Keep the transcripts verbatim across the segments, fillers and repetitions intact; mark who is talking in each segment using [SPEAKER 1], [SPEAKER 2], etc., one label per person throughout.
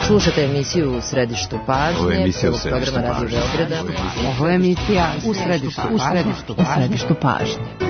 [SPEAKER 1] Slušate emisiju U središtu pažnje, prvog programa Radio Beograda.
[SPEAKER 2] Ovo je emisija U središtu pažnje.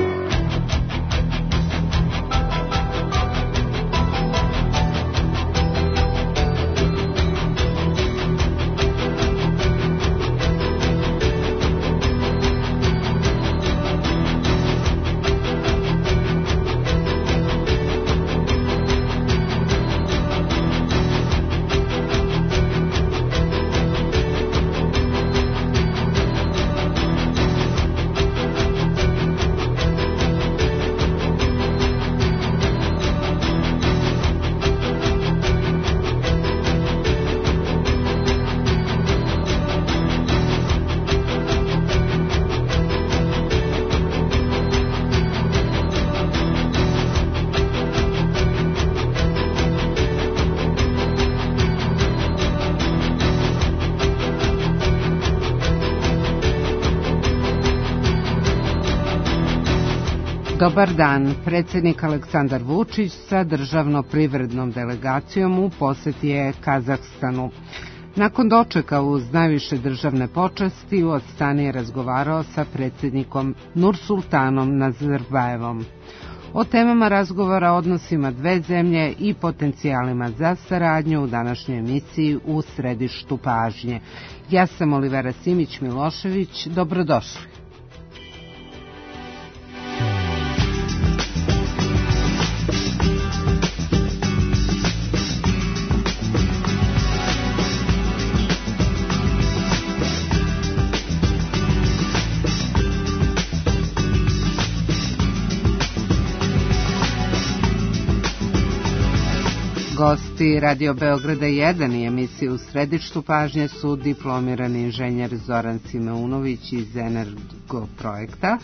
[SPEAKER 2] Dobar dan. Predsjednik Aleksandar Vučić sa državno-privrednom delegacijom u posjeti je Kazahstanu. Nakon dočeka uz najviše državne počasti u Astani je razgovarao sa predsjednikom Nursultanom Nazarbajevom. O temama razgovora, odnosima dve zemlje i potencijalima za saradnju u današnjoj emisiji U središtu pažnje. Ja sam Olivera Simić-Milošević. Dobrodošli. Gosti Radio Beograda jedan i emisije U središtu pažnje su diplomirani inženjer Zoran Simeunović iz Energoprojekta,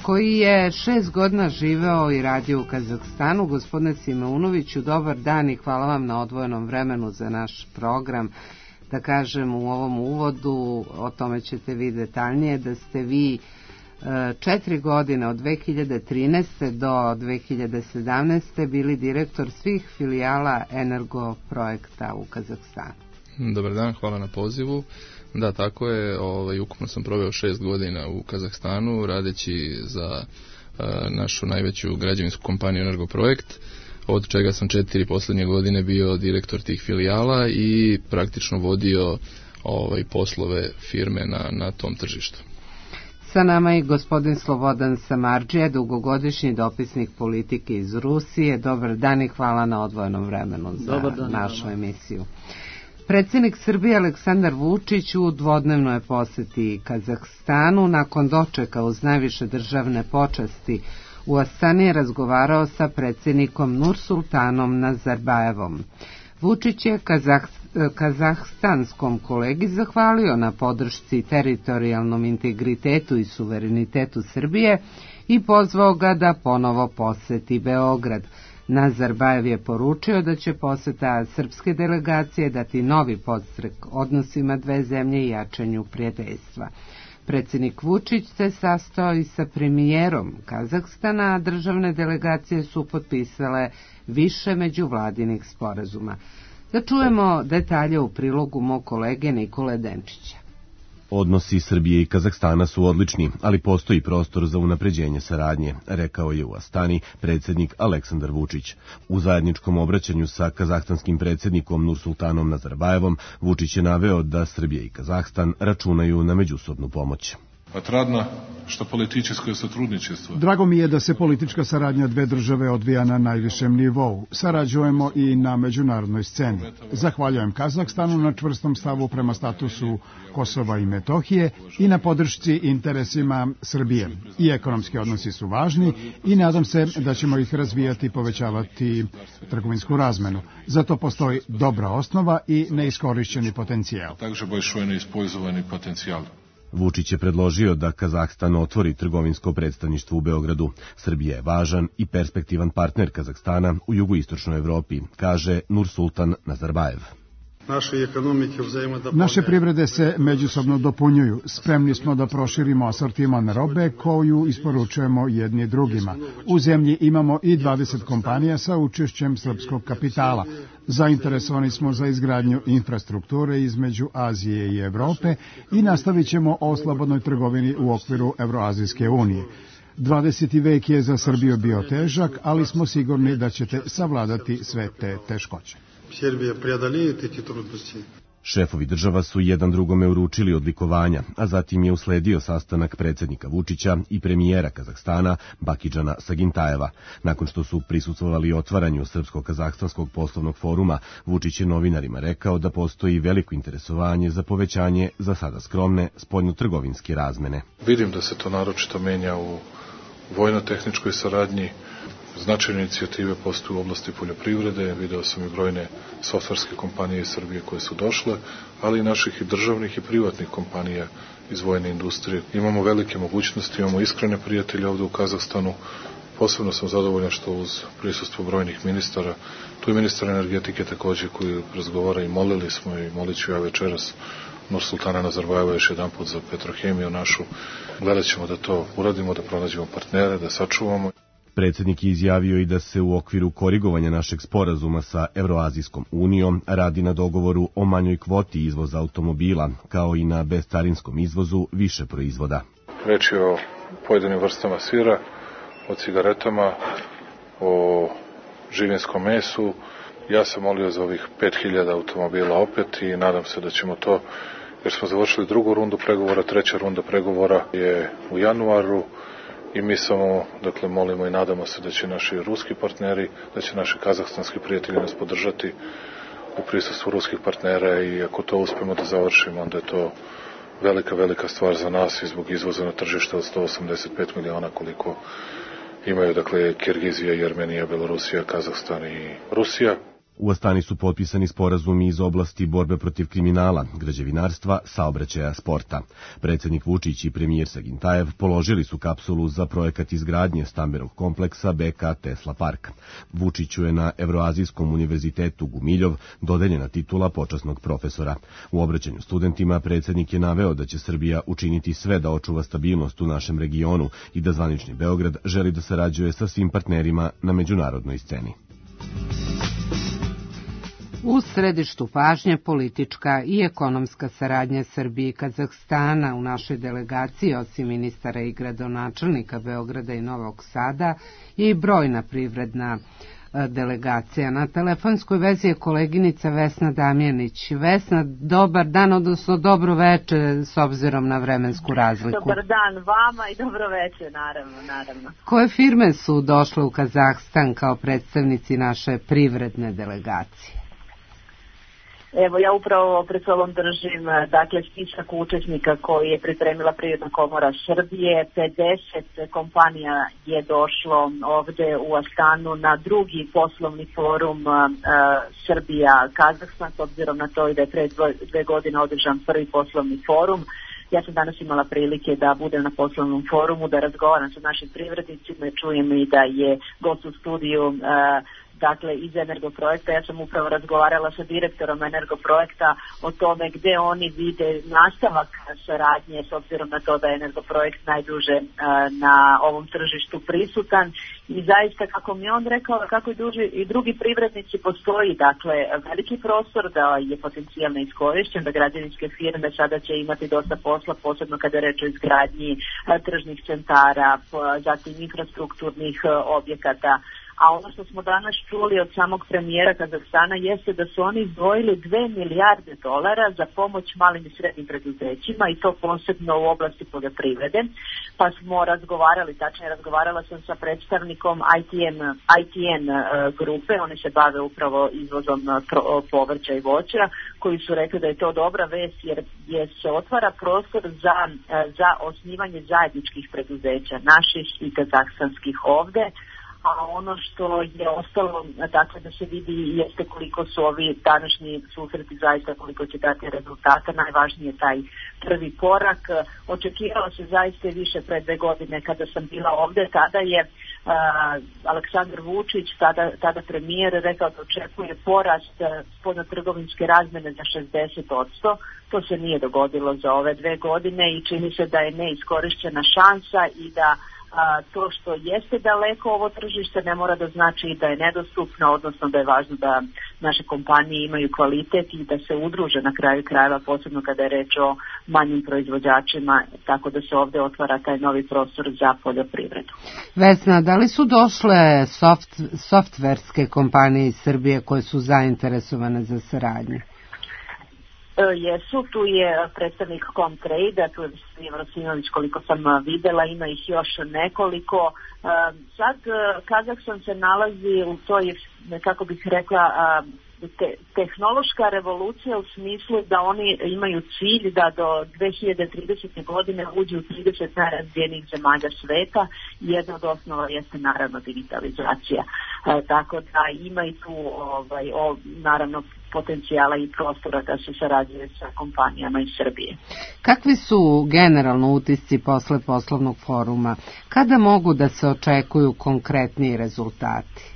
[SPEAKER 2] koji je šest godina živeo i radio u Kazahstanu. Gospodine Simeunoviću, dobar dan i hvala vam na odvojenom vremenu za naš program. Da kažem u ovom uvodu, o tome ćete vi detaljnije, da ste vi četiri godine od dve hiljade trinaeste do dve hiljade sedamnaeste bili direktor svih filijala Energoprojekta u Kazahstanu.
[SPEAKER 3] Dobar dan, hvala na pozivu. Da, tako je, ovaj, ukupno sam proveo šest godina u Kazahstanu radeći za uh, našu najveću građevinsku kompaniju Energoprojekt, od čega sam četiri posljednje godine bio direktor tih filijala i praktično vodio ovaj, poslove firme na, na tom tržištu.
[SPEAKER 2] Sa nama je gospodin Slobodan Samardžija, dugogodišnji dopisnik politike iz Rusije. Dobar dan i hvala na odvojenom vremenu za dan, našu emisiju. Predsjednik Srbije Aleksandar Vučić u dvodnevnoj posjeti Kazahstanu nakon dočeka uz najviše državne počasti u Astani je razgovarao sa predsjednikom Nursultanom Nazarbajevom. Vučić je Kazah, kazahstanskom kolegi zahvalio na podršci teritorijalnom integritetu i suverenitetu Srbije i pozvao ga da ponovo posjeti Beograd. Nazarbajev je poručio da će posjeta srpske delegacije dati novi podstrek odnosima dve zemlje i jačanju prijateljstva. Predsjednik Vučić se sastao i sa premijerom Kazahstana, a državne delegacije su potpisale više međuvladinih sporazuma. Da čujemo detalje u prilogu mog kolege Nikole Denčića.
[SPEAKER 4] Odnosi Srbije i Kazahstana su odlični, ali postoji prostor za unapređenje saradnje, rekao je u Astani predsjednik Aleksandar Vučić. U zajedničkom obraćanju sa kazahstanskim predsjednikom Nursultanom Nazarbajevom, Vučić je naveo da Srbija i Kazahstan računaju na međusobnu pomoć.
[SPEAKER 5] Отрадно, što političko сотрудничество.
[SPEAKER 6] Drago mi je da se politička saradnja dve države odvija na najvišem nivou. Sarađujemo i na međunarodnoj sceni. Zahvaljujem Kazahstanu na čvrstom stavu prema statusu Kosova i Metohije i na podršci interesima Srbije. I ekonomski odnosi su važni i nadam se da ćemo ih razvijati i povećavati trgovinsku razmenu. Zato postoji dobra osnova i neiskorišćeni potencijal.
[SPEAKER 5] Takže большой неиспользовani potencijal.
[SPEAKER 4] Vučić je predložio da Kazahstan otvori trgovinsko predstavništvo u Beogradu. Srbija je važan i perspektivan partner Kazahstana u jugoistočnoj Evropi, kaže Nursultan Nazarbajev.
[SPEAKER 6] Naše privrede se međusobno dopunjuju. Spremni smo da proširimo asortiman robe koju isporučujemo jedni drugima. U zemlji imamo i dvadeset kompanija sa učešćem srpskog kapitala. Zainteresovani smo za izgradnju infrastrukture između Azije i Evrope i nastavit ćemo o slobodnoj trgovini u okviru Evroazijske unije. dvadeseti vek je za Srbiju bio težak, ali smo sigurni da ćete savladati sve te teškoće.
[SPEAKER 4] Šefovi država su jedan drugome uručili odlikovanja, a zatim je usledio sastanak predsjednika Vučića i premijera Kazahstana Bakidžana Sagintajeva. Nakon što su prisustvovali otvaranju Srpsko-kazahstanskog poslovnog foruma, Vučić je novinarima rekao da postoji veliko interesovanje za povećanje za sada skromne spoljnotrgovinske razmene.
[SPEAKER 5] Vidim da se to naročito menja u vojno-tehničkoj saradnji. Značajne inicijative postoje u oblasti poljoprivrede, video sam i brojne softverske kompanije iz Srbije koje su došle, ali i naših i državnih i privatnih kompanija iz vojne industrije. Imamo velike mogućnosti, imamo iskrene prijatelje ovde u Kazahstanu. Posebno sam zadovoljan što uz prisustvo brojnih ministara, tu je ministar energetike takođe koji razgovara i molili smo i molit ću ja večeras Nursultana Nazarbajeva još jedan put za Petrohemiju našu. Gledat ćemo da to uradimo, da pronađemo partnere, da sačuvamo.
[SPEAKER 4] Predsjednik je izjavio i da se u okviru korigovanja našeg sporazuma sa Evroazijskom unijom radi na dogovoru o manjoj kvoti izvoza automobila, kao i na bezcarinskom izvozu više proizvoda.
[SPEAKER 5] Reč je o pojedinim vrstama sira, o cigaretama, o živinskom mesu. Ja sam molio za ovih pet hiljada automobila opet i nadam se da ćemo to, jer smo završili drugu rundu pregovora, treća runda pregovora je u januaru. I mi samo, dakle, molimo i nadamo se da će naši ruski partneri, da će naši kazahstanski prijatelji nas podržati u prisustvu ruskih partnera i ako to uspemo da završimo, onda je to velika, velika stvar za nas i zbog izvoza na tržište od sto osamdeset pet miliona koliko imaju, dakle, Kirgizija, Jermenija, Belorusija, Kazahstan i Rusija.
[SPEAKER 4] U Astani su potpisani sporazumi iz oblasti borbe protiv kriminala, građevinarstva, saobraćaja, sporta. Predsjednik Vučić i premijer Sagintajev položili su kapsulu za projekat izgradnje stambenog kompleksa B K Tesla Park. Vučiću je na Evroazijskom univerzitetu Gumiljov dodeljena titula počasnog profesora. U obraćanju studentima predsjednik je naveo da će Srbija učiniti sve da očuva stabilnost u našem regionu i da zvanični Beograd želi da sarađuje sa svim partnerima na međunarodnoj sceni.
[SPEAKER 2] U središtu pažnje politička i ekonomska saradnja Srbije i Kazahstana. U našoj delegaciji, osim ministara i gradonačelnika Beograda i Novog Sada, je i brojna privredna delegacija. Na telefonskoj vezi je koleginica Vesna Damjanić. Vesna, dobar dan, odnosno dobro veče s obzirom na vremensku razliku.
[SPEAKER 7] Dobar dan vama i dobro veče, naravno, naravno.
[SPEAKER 2] Koje firme su došle u Kazahstan kao predstavnici naše privredne delegacije?
[SPEAKER 7] Evo, ja upravo pred sobom držim, dakle, spisak učesnika koji je pripremila Privredna komora Srbije. pedeset kompanija je došlo ovde u Astanu na drugi poslovni forum uh, Srbija-Kazahstan, s obzirom na to i da je pre dve godine održan prvi poslovni forum. Ja sam danas imala prilike da budem na poslovnom forumu, da razgovaram sa našim privrednicima, čujem i da je gost u studiju uh, dakle iz Energoprojekta. Ja sam upravo razgovarala sa direktorom Energoprojekta o tome gde oni vide nastavak saradnje, s obzirom na to da je Energoprojekt najduže uh, na ovom tržištu prisutan i zaista, kako mi je on rekao, kako i, duži, i drugi privrednici, postoji dakle veliki prostor da je potencijalno iskorišćen, da građevinske firme sada će imati dosta posla, posebno kada je reč o izgradnji uh, tržnih centara, zatim infrastrukturnih uh, objekata. A ono što smo danas čuli od samog premijera Kazahstana jeste da su oni izdvojili dve milijarde dolara za pomoć malim i srednjim preduzećima i to posebno u oblasti poljoprivrede. Pa smo razgovarali, tačnije razgovarala sam sa predstavnikom I T N, I T N grupe, oni se bave upravo izvozom povrća i voća, koji su rekli da je to dobra vest jer, jer se otvara prostor za, za osnivanje zajedničkih preduzeća, naših i kazahstanskih ovde. a ono što je ostalo, dakle, da se vidi jeste koliko su ovi današnji susreti zaista, koliko će dati rezultata. Najvažniji je taj prvi korak. Očekivalo se zaista više pre dve godine kada sam bila ovde, tada je uh, Aleksandar Vučić, tada, tada premijer, rekao da očekuje porast spoljnotrgovinske razmene za šezdeset posto. To se nije dogodilo za ove dve godine i čini se da je neiskorišćena šansa i da a, to što jeste daleko ovo tržište ne mora da znači da je nedostupno, odnosno da je važno da naše kompanije imaju kvalitet i da se udruže na kraju krajeva, posebno kada je reč o manjim proizvođačima, tako da se ovde otvara taj novi prostor za poljoprivredu.
[SPEAKER 2] Vesna, da li su došle soft, softverske kompanije iz Srbije koje su zainteresovane za saradnju?
[SPEAKER 7] Jesu, tu je predstavnik Comtrade, tu je Vrosinović, koliko sam videla, ima ih još nekoliko. Sad Kazahstan se nalazi u toj, kako bih rekla, te, tehnološka revolucija u smislu da oni imaju cilj da do dve hiljade tridesete. godine uđu u trideset najrazvijenijih zemalja sveta i jedna od osnova jeste naravno digitalizacija. E, tako da ima i tu ovaj, o, naravno potencijala i prostora da se sarađuje sa kompanijama iz Srbije.
[SPEAKER 2] Kakvi su generalno utisci posle poslovnog foruma? Kada mogu da se očekuju konkretniji rezultati?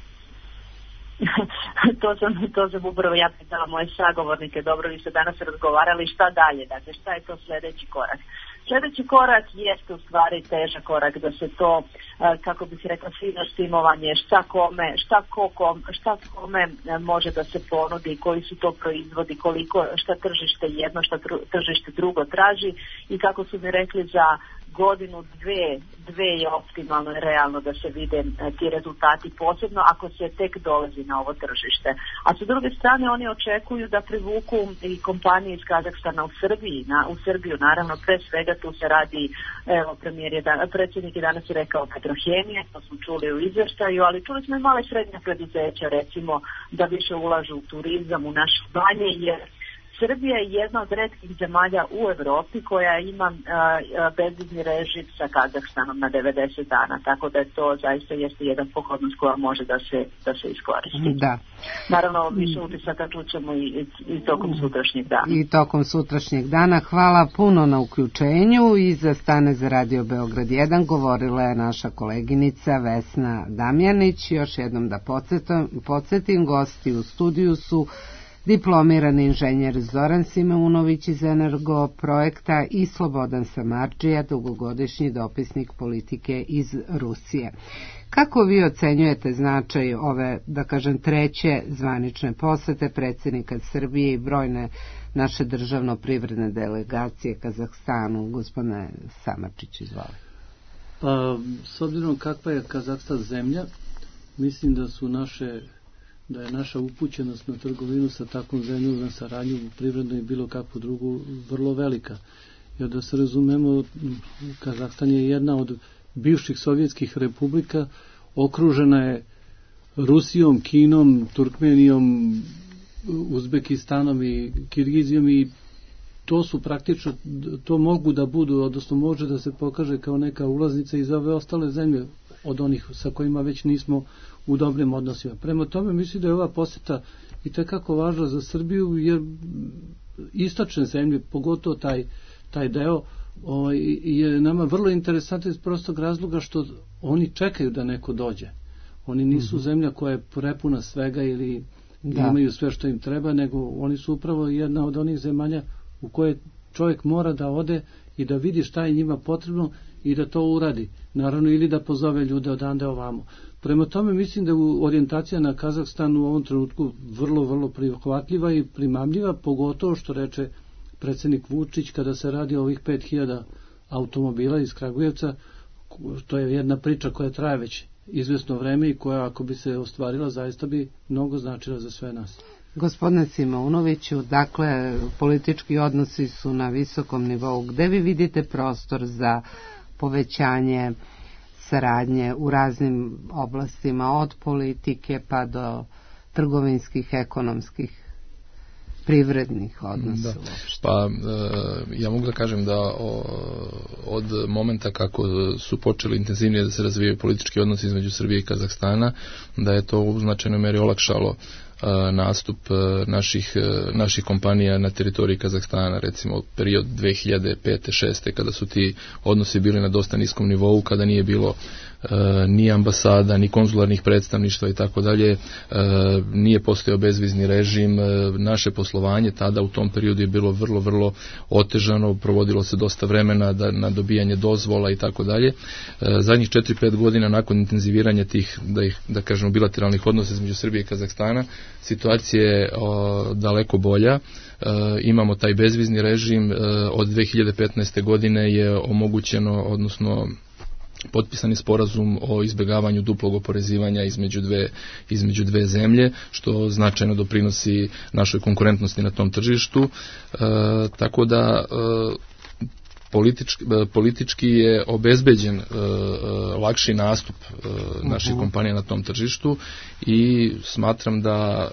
[SPEAKER 7] to sam, to sam upravo ja pitala moje sagovornike, dobro, vi ste danas razgovarali šta dalje, dakle šta je to sljedeći korak. Sljedeći korak jeste u stvari težak korak da se to, kako bih rekla, fino štimovanje, šta kome, šta, kom, šta kome može da se ponudi, koji su to proizvodi, koliko, šta tržište jedno, šta tržište drugo traži i kako su mi rekli za godinu, dve, dve je optimalno i realno da se vide ti rezultati, posebno ako se tek dolazi na ovo tržište. A sa druge strane oni očekuju da privuku i kompanije iz Kazahstana u Srbiji, na, u Srbiju, naravno pre svega tu se radi, evo premijer je dan, predsjednik je danas rekao Petrohemije, to smo čuli u izvještaju, ali čuli smo i male srednje preduzeća, recimo da više ulažu u turizam, u naše banje, jer Srbija je jedna od retkih zemalja u Evropi koja ima bezvizni režim sa Kazahstanom na devedeset dana, tako da je to zaista jeste jedan pogodnost koja može da se, da se iskoristi.
[SPEAKER 2] Da.
[SPEAKER 7] Naravno, više utisaka čućemo i, i, i tokom sutrašnjeg dana.
[SPEAKER 2] I tokom sutrašnjeg dana. Hvala puno na uključenju i za Stane za Radio Beograd jedan govorila je naša koleginica Vesna Damjanić. Još jednom da podsjetim, podsjetim gosti u studiju su diplomirani inženjer Zoran Simeunović iz Energoprojekta i Slobodan Samardžija, dugogodišnji dopisnik politike iz Rusije. Kako vi ocenjujete značaj ove, da kažem, treće zvanične posete predsjednika Srbije i brojne naše državno-privredne delegacije Kazahstanu? Gospodine Samardžić, izvoli.
[SPEAKER 8] Pa, s obzirom kakva je Kazahstan zemlja, mislim da su naše da je naša upućenost na trgovinu sa takvom zemljom, na saradnju privrednu i bilo kakvu drugu vrlo velika. Jer da se razumemo, Kazahstan je jedna od bivših sovjetskih republika, okružena je Rusijom, Kinom, Turkmenijom, Uzbekistanom i Kirgizijom i to su praktično, to mogu da budu, odnosno može da se pokaže kao neka ulaznica i za ove ostale zemlje od onih sa kojima već nismo u dobrim odnosima. Prema tome mislim da je ova poseta i tekako važna za Srbiju, jer istočne zemlje, pogotovo taj, taj deo, o, je nama vrlo interesantno iz prostog razloga što oni čekaju da neko dođe. Oni nisu mm-hmm. zemlja koja je prepuna svega ili da. imaju sve što im treba, nego oni su upravo jedna od onih zemalja u koje čovjek mora da ode i da vidi šta je njima potrebno i da to uradi. Naravno, ili da pozove ljude odande ovamo. Prema tome mislim da je orijentacija na Kazahstan u ovom trenutku vrlo, vrlo prihvatljiva i primamljiva, pogotovo što reče predsjednik Vučić kada se radi o ovih pet hiljada automobila iz Kragujevca. To je jedna priča koja traje već izvesno vreme i koja ako bi se ostvarila zaista bi mnogo značila za sve nas.
[SPEAKER 2] Gospodine Simeunoviću, dakle, politički odnosi su na visokom nivou. Gde vi vidite prostor za povećanje saradnje u raznim oblastima, od politike pa do trgovinskih, ekonomskih privrednih odnosa
[SPEAKER 3] da.
[SPEAKER 2] uopšte?
[SPEAKER 3] Pa ja mogu da kažem da od momenta kako su počeli intenzivnije da se razvijaju politički odnosi između Srbije i Kazahstana, da je to u značajnoj meri olakšalo nastup naših, naših kompanija na teritoriji Kazahstana, recimo period dve hiljade pete šeste kada su ti odnosi bili na dosta niskom nivou, kada nije bilo ni ambasada, ni konzularnih predstavništva i tako dalje, nije postojao bezvizni režim, naše poslovanje tada u tom periodu je bilo vrlo, vrlo otežano, provodilo se dosta vremena da, na dobijanje dozvola i tako dalje. Zadnjih četiri pet godina nakon intenziviranja tih, da ih, da kažemo, bilateralnih odnosa između Srbije i Kazahstana, situacija je o, daleko bolja. E, imamo taj bezvizni režim, e, od dve hiljade petnaeste godine je omogućeno, odnosno potpisani sporazum o izbjegavanju duplog oporezivanja između dve, između dve zemlje, što značajno doprinosi našoj konkurentnosti na tom tržištu. E, tako da e, Politički, politički je obezbeđen e, lakši nastup e, naših uh-huh. kompanija na tom tržištu i smatram da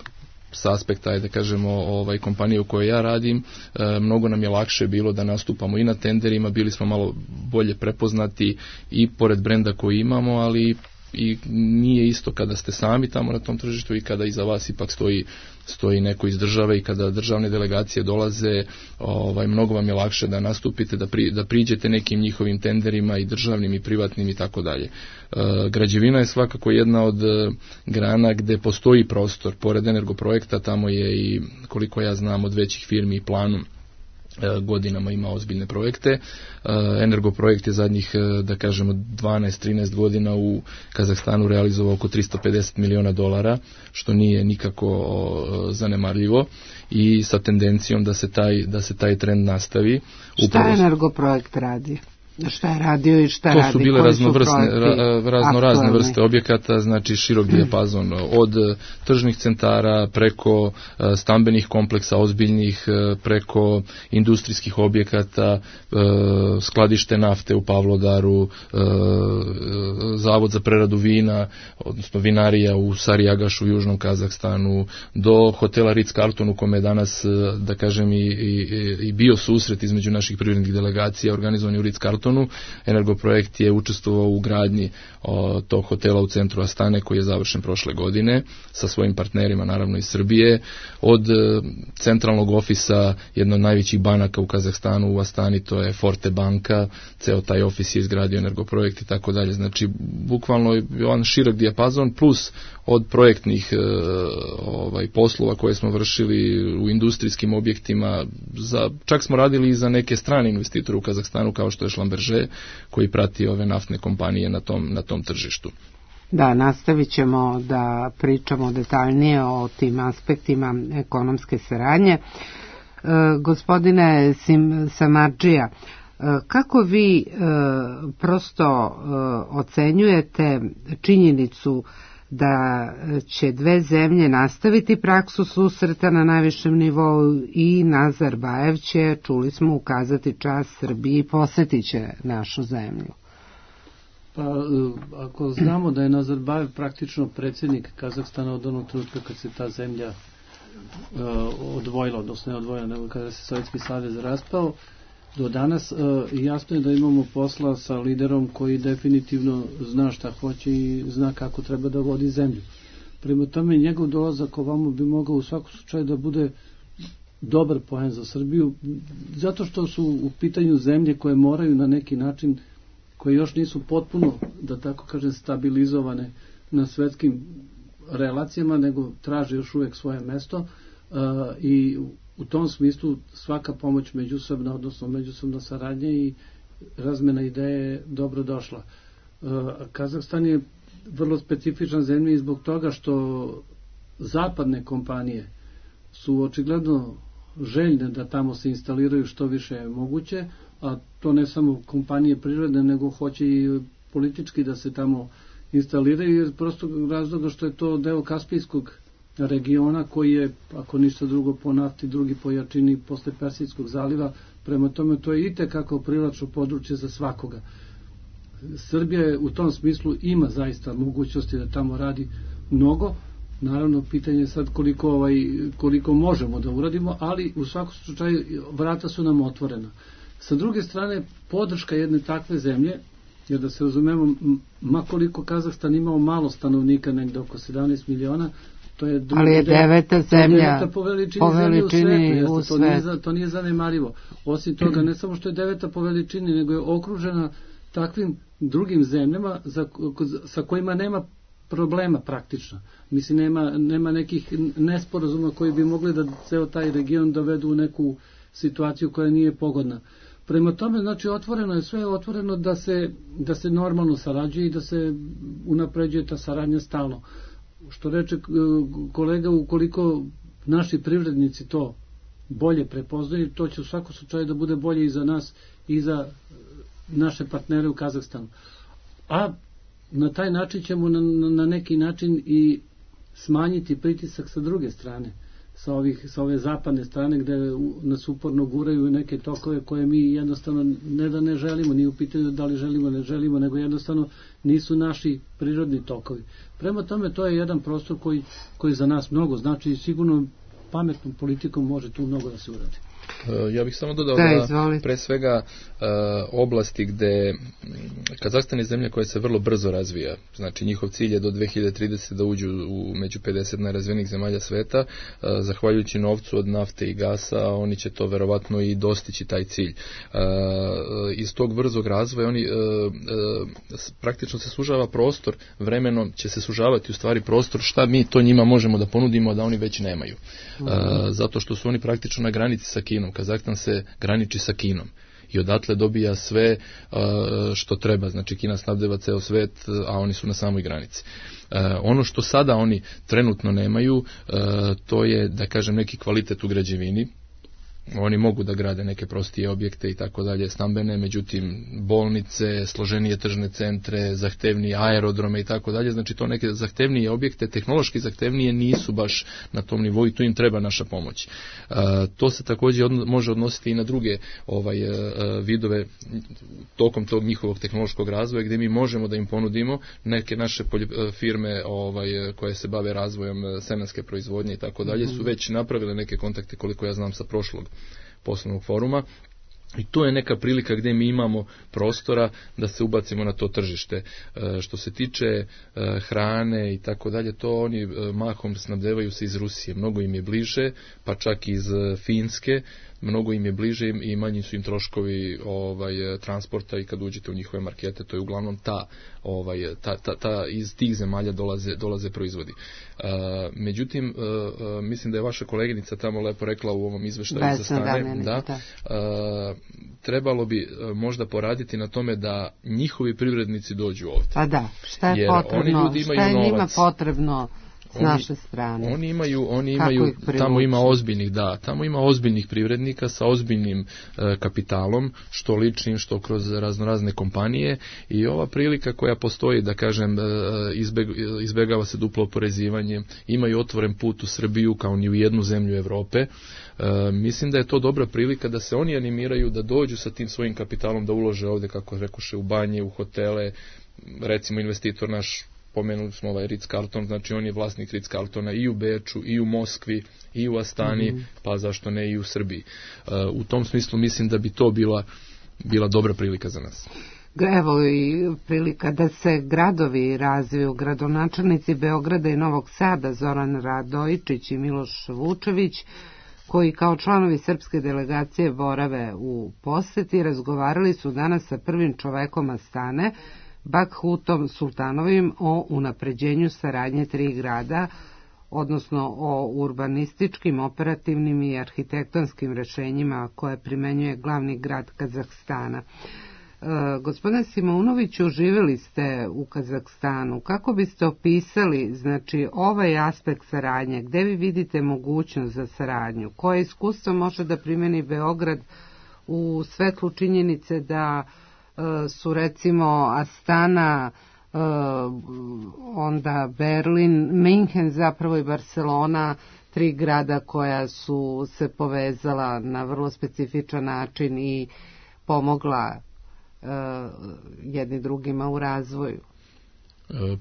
[SPEAKER 3] sa aspekta, da kažemo, ovaj, kompanije u kojoj ja radim, e, mnogo nam je lakše bilo da nastupamo i na tenderima, bili smo malo bolje prepoznati i pored brenda koji imamo, ali i nije isto kada ste sami tamo na tom tržištu i kada iza vas ipak stoji stoji neko iz države i kada državne delegacije dolaze, ovaj, mnogo vam je lakše da nastupite, da, pri, da priđete nekim njihovim tenderima i državnim i privatnim i tako dalje. Građevina je svakako jedna od e, grana gde postoji prostor, pored Energoprojekta, tamo je i, koliko ja znam, od većih firmi i Planum godinama ima ozbiljne projekte. Energoprojekt je zadnjih, da kažemo, dvanaest trinaest godina u Kazahstanu realizovao oko tristo pedeset miliona dolara, što nije nikako zanemarljivo i sa tendencijom da se taj, da se taj trend nastavi.
[SPEAKER 2] Šta Upravo... Energoprojekt radi? Šta je radio i šta
[SPEAKER 3] to
[SPEAKER 2] radi?
[SPEAKER 3] To su bile raznovrsne, ra, razno razne vrste objekata, znači širok dijapazon od tržnih centara preko stambenih kompleksa ozbiljnih, preko industrijskih objekata, skladište nafte u Pavlodaru, zavod za preradu vina, odnosno vinarija u Sariyagašu u Južnom Kazahstanu, do hotela Ritz-Carlton u kome je danas, da kažem, i, i, i bio susret između naših privrednih delegacija organizovan u Ritz-Carlton. Energoprojekt je učestvovao u gradnji o, tog hotela u centru Astane koji je završen prošle godine sa svojim partnerima, naravno iz Srbije. Od e, centralnog ofisa jedno od najvećih banaka u Kazahstanu u Astani, to je Forte banka, ceo taj ofis je izgradio Energoprojekt i tako dalje. Znači, bukvalno je on širok dijapazon, plus od projektnih e, ovaj, poslova koje smo vršili u industrijskim objektima, za, čak smo radili i za neke strane investitore u Kazahstanu kao što je Schlumberger, koji prati ove naftne kompanije na tom, na tom tržištu.
[SPEAKER 2] Da, nastavit ćemo da pričamo detaljnije o tim aspektima ekonomske saradnje. E, gospodine Sim, Samardžija, e, kako vi e, prosto e, ocenjujete činjenicu da će dve zemlje nastaviti praksu susreta na najvišem nivou i Nazarbajev će, čuli smo, ukazati čast Srbiji i posjetit će našu zemlju?
[SPEAKER 8] Pa, ako znamo da je Nazarbajev praktično predsjednik Kazahstana od onog trenutka kad se ta zemlja uh, odvojila, odnosno ne odvojila, nego kada se Sovjetski savez raspao, do danas uh, jasno je da imamo posla sa liderom koji definitivno zna šta hoće i zna kako treba da vodi zemlju. Prema tome, njegov dolazak ovamo bi mogao u svakom slučaju da bude dobar poen za Srbiju, zato što su u pitanju zemlje koje moraju na neki način, koje još nisu potpuno, da tako kažem, stabilizovane na svetskim relacijama, nego traže još uvijek svoje mesto uh, i u tom smislu svaka pomoć međusobna, odnosno međusobna saradnja i razmena ideje je dobro došla. Uh, Kazahstan je vrlo specifičan zemlja i zbog toga što zapadne kompanije su očigledno željne da tamo se instaliraju što više je moguće, a to ne samo kompanije prirodne, nego hoće i politički da se tamo instaliraju, jer prosto razloga što je to deo Kaspijskog regiona koji je, ako ništa drugo, po nafti, drugi po jačini posle Persijskog zaliva, prema tome to je itekako privlačno područje za svakoga. Srbija je u tom smislu ima zaista mogućnosti da tamo radi mnogo, Naravno, pitanje je sad koliko, ovaj, koliko možemo da uradimo, ali u svakom slučaju vrata su nam otvorena. Sa druge strane, podrška jedne takve zemlje, jer da se razumemo, makoliko Kazahstan imao malo stanovnika, negde oko sedamnaest miliona, to je druga,
[SPEAKER 2] ali je deveta zemlja,
[SPEAKER 8] deveta po veličini, po veličini zemlje u svetu, u jeste, to, nije, to nije zanemarivo. Osim toga, ne samo što je deveta po veličini, nego je okružena takvim drugim zemljama za, sa kojima nema problema praktično. Mislim, nema, nema nekih nesporazuma koji bi mogli da ceo taj region dovedu u neku situaciju koja nije pogodna. Prema tome, znači, otvoreno je sve, otvoreno da se, da se normalno sarađuje i da se unapređuje ta saradnja stalno. Što reče kolega, ukoliko naši privrednici to bolje prepoznaju, to će u svakom slučaju da bude bolje i za nas i za naše partnere u Kazahstanu. A na taj način ćemo na, na neki način i smanjiti pritisak sa druge strane, sa, ovih, sa ove zapadne strane gde nas uporno guraju neke tokove koje mi jednostavno ne da ne želimo, nije u pitanju da li želimo, ne želimo, nego jednostavno nisu naši prirodni tokovi. Prema tome, to je jedan prostor koji, koji za nas mnogo znači i sigurno pametnom politikom može tu mnogo da se uradi.
[SPEAKER 3] Ja bih samo dodao da, da pre svega oblasti gde Kazahstan je zemlja koja se vrlo brzo razvija, znači njihov cilj je do dve hiljade tridesete. da uđu u među pedeset najrazvijenijih zemalja sveta, zahvaljujući novcu od nafte i gasa, oni će to verovatno i dostići taj cilj. Iz tog brzog razvoja oni praktično se sužava prostor, vremeno će se sužavati u stvari prostor šta mi to njima možemo da ponudimo da oni već nemaju. Zato što su oni praktično na granici sa Kinom. Kazahstan se graniči sa Kinom i odatle dobija sve uh, što treba. Znači Kina snabdeva ceo svet, a oni su na samoj granici. Uh, ono što sada oni trenutno nemaju, uh, to je, da kažem, neki kvalitet u građevini. Oni mogu da grade neke prostije objekte i tako dalje, stambene, međutim bolnice, složenije tržne centre, zahtevnije aerodrome i tako dalje, znači to neke zahtevnije objekte, tehnološki zahtevnije nisu baš na tom nivou i tu im treba naša pomoć. E, to se također odno, može odnositi i na druge ovaj, e, vidove tokom tog njihovog tehnološkog razvoja gdje mi možemo da im ponudimo neke naše polje, firme ovaj, koje se bave razvojem semenske proizvodnje i tako dalje, su već napravile neke kontakte, koliko ja znam, sa prošlog poslovnog foruma i to je neka prilika gdje mi imamo prostora da se ubacimo na to tržište. E, što se tiče e, hrane i tako dalje, to oni e, mahom snabdevaju se iz Rusije, mnogo im je bliže, pa čak iz Finske, mnogo im je bliže i manji su im troškovi ovaj, transporta i kad uđete u njihove markete, to je uglavnom ta, ovaj, ta, ta, ta iz tih zemalja dolaze, dolaze proizvodi. Uh, međutim, uh, mislim da je vaša koleginica tamo lepo rekla u ovom izveštaju za stane, da, uh, trebalo bi uh, možda poraditi na tome da njihovi privrednici dođu ovdje.
[SPEAKER 2] Pa da, šta je potrebno, šta je njima potrebno s naše strane.
[SPEAKER 3] Oni imaju, oni imaju tamo ima ozbiljnih, da, tamo ima ozbiljnih privrednika sa ozbiljnim e, kapitalom, što ličnim, što kroz raznorazne kompanije i ova prilika koja postoji, da kažem, e, izbeg, izbegava se duplo oporezivanje, imaju otvoren put u Srbiju kao ni u jednu zemlju Evrope. E, mislim da je to dobra prilika da se oni animiraju, da dođu sa tim svojim kapitalom, da ulože ovdje, kako rekoše, u banje, u hotele, recimo investitor naš, pomenuli smo ovaj Ritz-Carlton, znači on je vlasnik Ritz-Carltona i u Beču, i u Moskvi, i u Astani, mm-hmm. pa zašto ne i u Srbiji. Uh, u tom smislu mislim da bi to bila, bila dobra prilika za nas.
[SPEAKER 2] Evo i prilika da se gradovi razviju. Gradonačelnici Beograda i Novog Sada, Zoran Radojičić i Miloš Vučević, koji kao članovi srpske delegacije borave u poseti, razgovarali su danas sa prvim čovekom Astane, Bakhutom Sultanovim, o unapređenju saradnje tri grada, odnosno o urbanističkim, operativnim i arhitektonskim rešenjima koje primenjuje glavni grad Kazahstana. E, gospodine Simounoviću, živjeli ste u Kazahstanu. Kako biste opisali, znači, ovaj aspekt saradnje? Gde vi vidite mogućnost za saradnju? Koje iskustvo može da primeni Beograd u svetlu činjenice da su recimo Astana, onda Berlin, Minhen zapravo i Barcelona, tri grada koja su se povezala na vrlo specifičan način i pomogla jedni drugima u razvoju?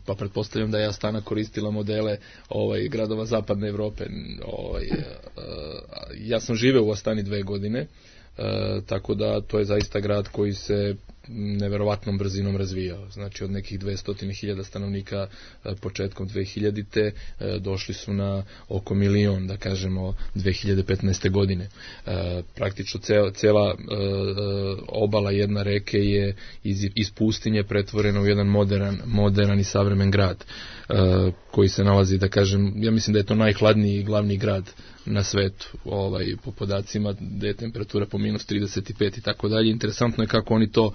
[SPEAKER 3] Pa pretpostavljam da je Astana koristila modele ovaj, gradova zapadne Evrope. Ovaj, ja sam živeo u Astani dve godine, tako da to je zaista grad koji se neverovatnom brzinom razvijao. Znači od nekih dvesta hiljada stanovnika početkom dve hiljadite došli su na oko milion, da kažemo, dve hiljade petnaeste. godine. Praktično cela, cela obala jedna reke je iz, iz pustinje pretvorena u jedan modern, modern i savremen grad koji se nalazi, da kažem, ja mislim da je to najhladniji glavni grad na svetu, ovaj, po podacima da je temperatura po minus trideset pet i tako dalje. Interesantno je kako oni to uh,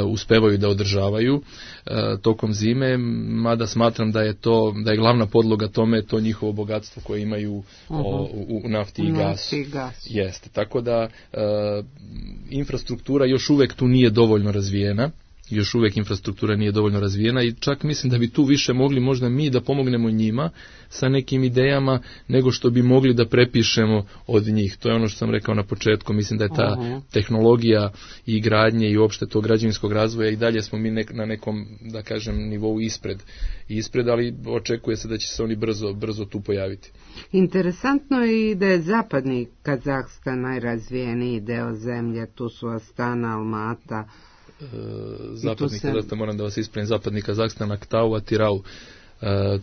[SPEAKER 3] uspevaju da održavaju uh, tokom zime, mada smatram da je to, da je glavna podloga tome to njihovo bogatstvo koje imaju uh-huh. o, u, u nafti i gasu.
[SPEAKER 2] Gas.
[SPEAKER 3] Jeste, tako da uh, infrastruktura još uvek tu nije dovoljno razvijena. Još uvek infrastruktura nije dovoljno razvijena i čak mislim da bi tu više mogli možda mi da pomognemo njima sa nekim idejama nego što bi mogli da prepišemo od njih. To je ono što sam rekao na početku, mislim da je ta uh-huh. tehnologija i gradnje i uopšte tog građevinskog razvoja i dalje smo mi nek, na nekom, da kažem, nivou ispred, ispred, ali očekuje se da će se oni brzo, brzo tu pojaviti.
[SPEAKER 2] Interesantno je i da je zapadni Kazahstan najrazvijeniji deo zemlje, tu su Astana, Almata.
[SPEAKER 3] Zapadni se... Kazahstan, moram da vas ispravim, zapadni Kazahstan, Aktau, Atirau, uh, uh,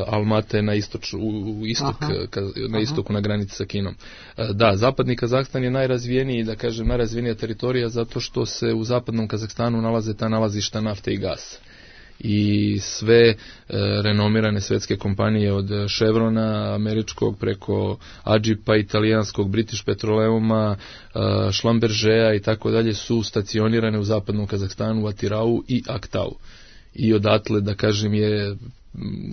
[SPEAKER 3] Almata je na, istoč, u, u istok, ka, na istoku na granici sa Kinom. Uh, da, zapadni Kazahstan je najrazvijeniji, da kažem, najrazvijenija teritorija zato što se u zapadnom Kazahstanu nalaze ta nalazišta nafte i gasa. I sve e, renomirane svetske kompanije od Chevrona američkog preko Adžipa italijanskog, British Petroleuma, e, Schlumbergea i tako dalje su stacionirane u zapadnom Kazahstanu, u Atirau i Aktau. I odatle, da kažem, je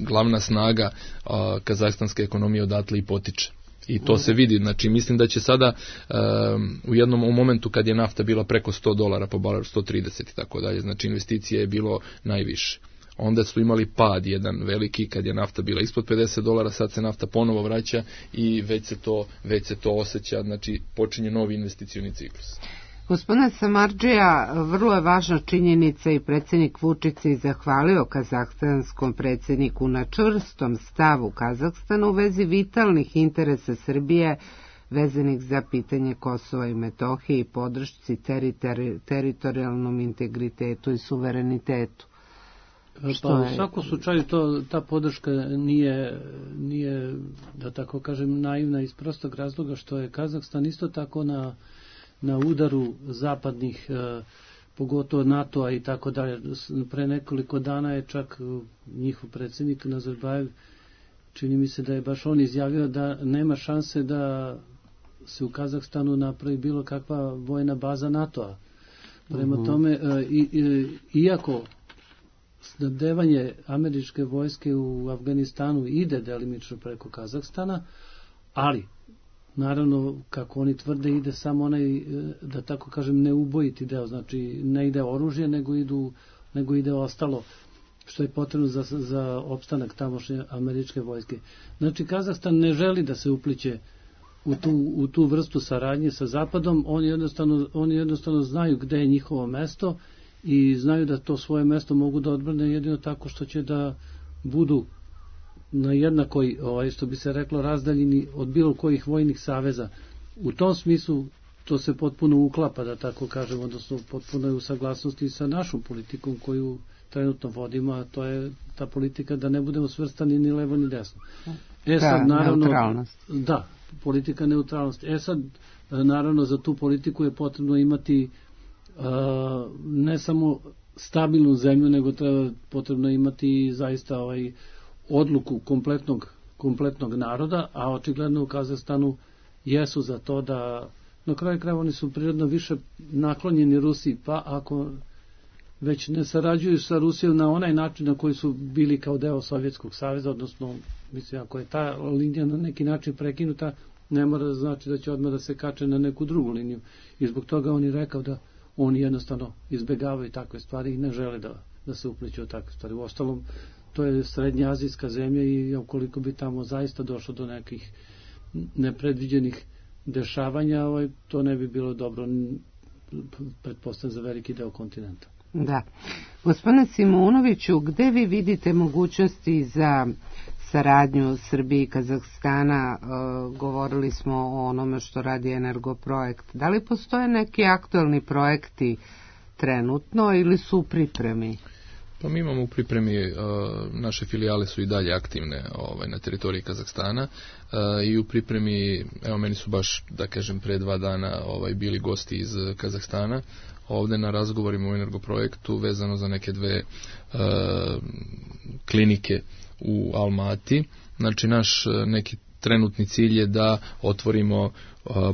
[SPEAKER 3] glavna snaga a, kazahstanske ekonomije odatle i potiče. I to se vidi, znači mislim da će sada um, u jednom u momentu kad je nafta bila preko sto dolara po baralu, sto trideset i tako dalje, znači investicije je bilo najviše. Onda su imali pad jedan veliki kad je nafta bila ispod pedeset dolara, sad se nafta ponovo vraća i već se to, već se to osjeća, znači počinje novi investicioni ciklus.
[SPEAKER 2] Gospodine Samardžija, vrlo je važna činjenica i predsjednik Vučić je zahvalio kazahstanskom predsjedniku na čvrstom stavu Kazahstana u vezi vitalnih interesa Srbije vezanih za pitanje Kosova i Metohije i podršci teritori, teritorijalnom integritetu i suverenitetu.
[SPEAKER 8] Pa u svakom slučaju to, ta podrška nije, nije, da tako kažem, naivna iz prostog razloga što je Kazahstan isto tako na na udaru zapadnih, eh, pogotovo NATO-a i tako dalje. Pre nekoliko dana je čak njihov predsjednik Nazarbajev, čini mi se da je baš on izjavio da nema šanse da se u Kazahstanu napravi bilo kakva vojna baza NATO-a. Prema uh-huh. tome, eh, i, i, iako snabdevanje američke vojske u Afganistanu ide delimično preko Kazahstana, ali naravno, kako oni tvrde, ide samo onaj, da tako kažem, neubojiti deo, znači ne ide oružje, nego, idu, nego ide ostalo što je potrebno za, za opstanak tamošnje američke vojske. Znači, Kazahstan ne želi da se upliće u tu, u tu vrstu saradnje sa Zapadom, oni jednostavno, oni jednostavno znaju gde je njihovo mesto i znaju da to svoje mesto mogu da odbrane jedino tako što će da budu na jednakoj, ovaj, što bi se reklo, razdaljini od bilo kojih vojnih saveza. U tom smislu to se potpuno uklapa, da tako kažem, odnosno potpuno je u saglasnosti sa našom politikom koju trenutno vodimo, a to je ta politika da ne budemo svrstani ni levo ni desno. E sad,
[SPEAKER 2] da,
[SPEAKER 8] naravno,
[SPEAKER 2] neutralnost.
[SPEAKER 8] Da, politika neutralnosti. E sad, naravno, za tu politiku je potrebno imati uh, ne samo stabilnu zemlju, nego treba potrebno imati zaista ovaj odluku kompletnog, kompletnog naroda, a očigledno u Kazahstanu jesu za to da, na kraju krajeva oni su prirodno više naklonjeni Rusiji, pa ako već ne sarađuju sa Rusijom na onaj način na koji su bili kao deo Sovjetskog saveza, odnosno, mislim, ako je ta linija na neki način prekinuta, ne mora da znači da će odmah da se kače na neku drugu liniju. I zbog toga on je rekao da oni jednostavno izbegavaju takve stvari i ne žele da, da se upliću u takve stvari. U ostalom, to je srednjoazijska zemlja i ukoliko bi tamo zaista došlo do nekih nepredviđenih dešavanja, ovaj, to ne bi bilo dobro, pretpostavljam, za veliki deo kontinenta.
[SPEAKER 2] Da. Gospodine Simunoviću, gde vi vidite mogućnosti za saradnju Srbije i Kazahstana? E, govorili smo o onome što radi Energoprojekt. Da li postoje neki aktualni projekti trenutno ili su u pripremi?
[SPEAKER 3] Pa mi imamo u pripremi, uh, naše filijale su i dalje aktivne ovaj, na teritoriji Kazahstana uh, i u pripremi, evo meni su baš, da kažem, pre dva dana ovaj, bili gosti iz Kazahstana ovde na razgovorima u Energoprojektu vezano za neke dve uh, klinike u Almati. Znači naš neki trenutni cilj je da otvorimo uh,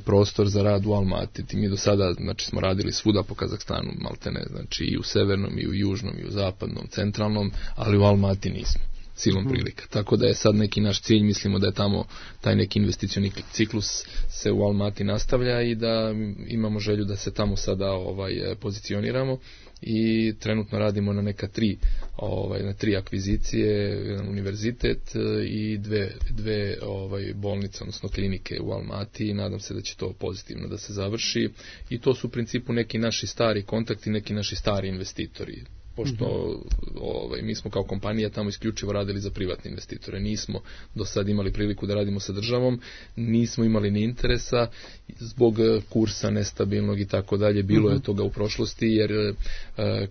[SPEAKER 3] prostor za rad u Almati. Mi do sada, znači, smo radili svuda po Kazahstanu, maltene, znači i u severnom, i u južnom, i u zapadnom, centralnom, ali u Almati nismo, silom mm. prilika. Tako da je sad neki naš cilj, mislimo da je tamo taj neki investicioni ciklus se u Almati nastavlja i da imamo želju da se tamo sada ovaj pozicioniramo i trenutno radimo na neka tri ovaj na tri akvizicije, jedan univerzitet i dve dve ovaj bolnice, odnosno klinike u Almati i nadam se da će to pozitivno da se završi i to su u principu neki naši stari kontakti, neki naši stari investitori. Pošto ovaj, mi smo kao kompanija tamo isključivo radili za privatne investitore. Nismo do sad imali priliku da radimo sa državom, nismo imali ni interesa zbog kursa nestabilnog i tako dalje. Bilo je toga u prošlosti jer e,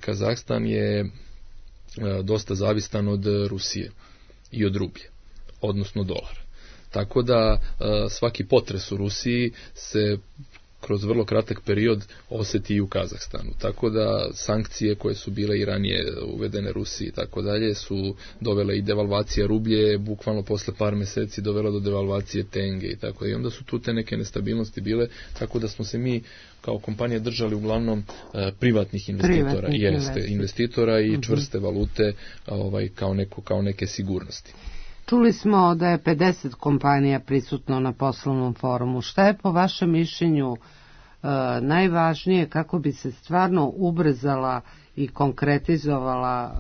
[SPEAKER 3] Kazahstan je e, dosta zavistan od Rusije i od rublje, odnosno dolara. Tako da e, svaki potres u Rusiji se kroz vrlo kratak period osjeti i u Kazahstanu. Tako da sankcije koje su bile i ranije uvedene Rusiji i tako dalje su dovele i devalvacija rublje, bukvalno posle par mjeseci dovela do devalvacije tenge i tako. I onda su tu te neke nestabilnosti bile, tako da smo se mi kao kompanija držali uglavnom e, privatnih investitora, Privatnik jeste, investitora i uh-huh. čvrste valute ovaj, kao, neko, kao neke sigurnosti.
[SPEAKER 2] Čuli smo da je pedeset kompanija prisutno na poslovnom forumu. Šta je po vašem mišljenju e, najvažnije kako bi se stvarno ubrzala i konkretizovala e,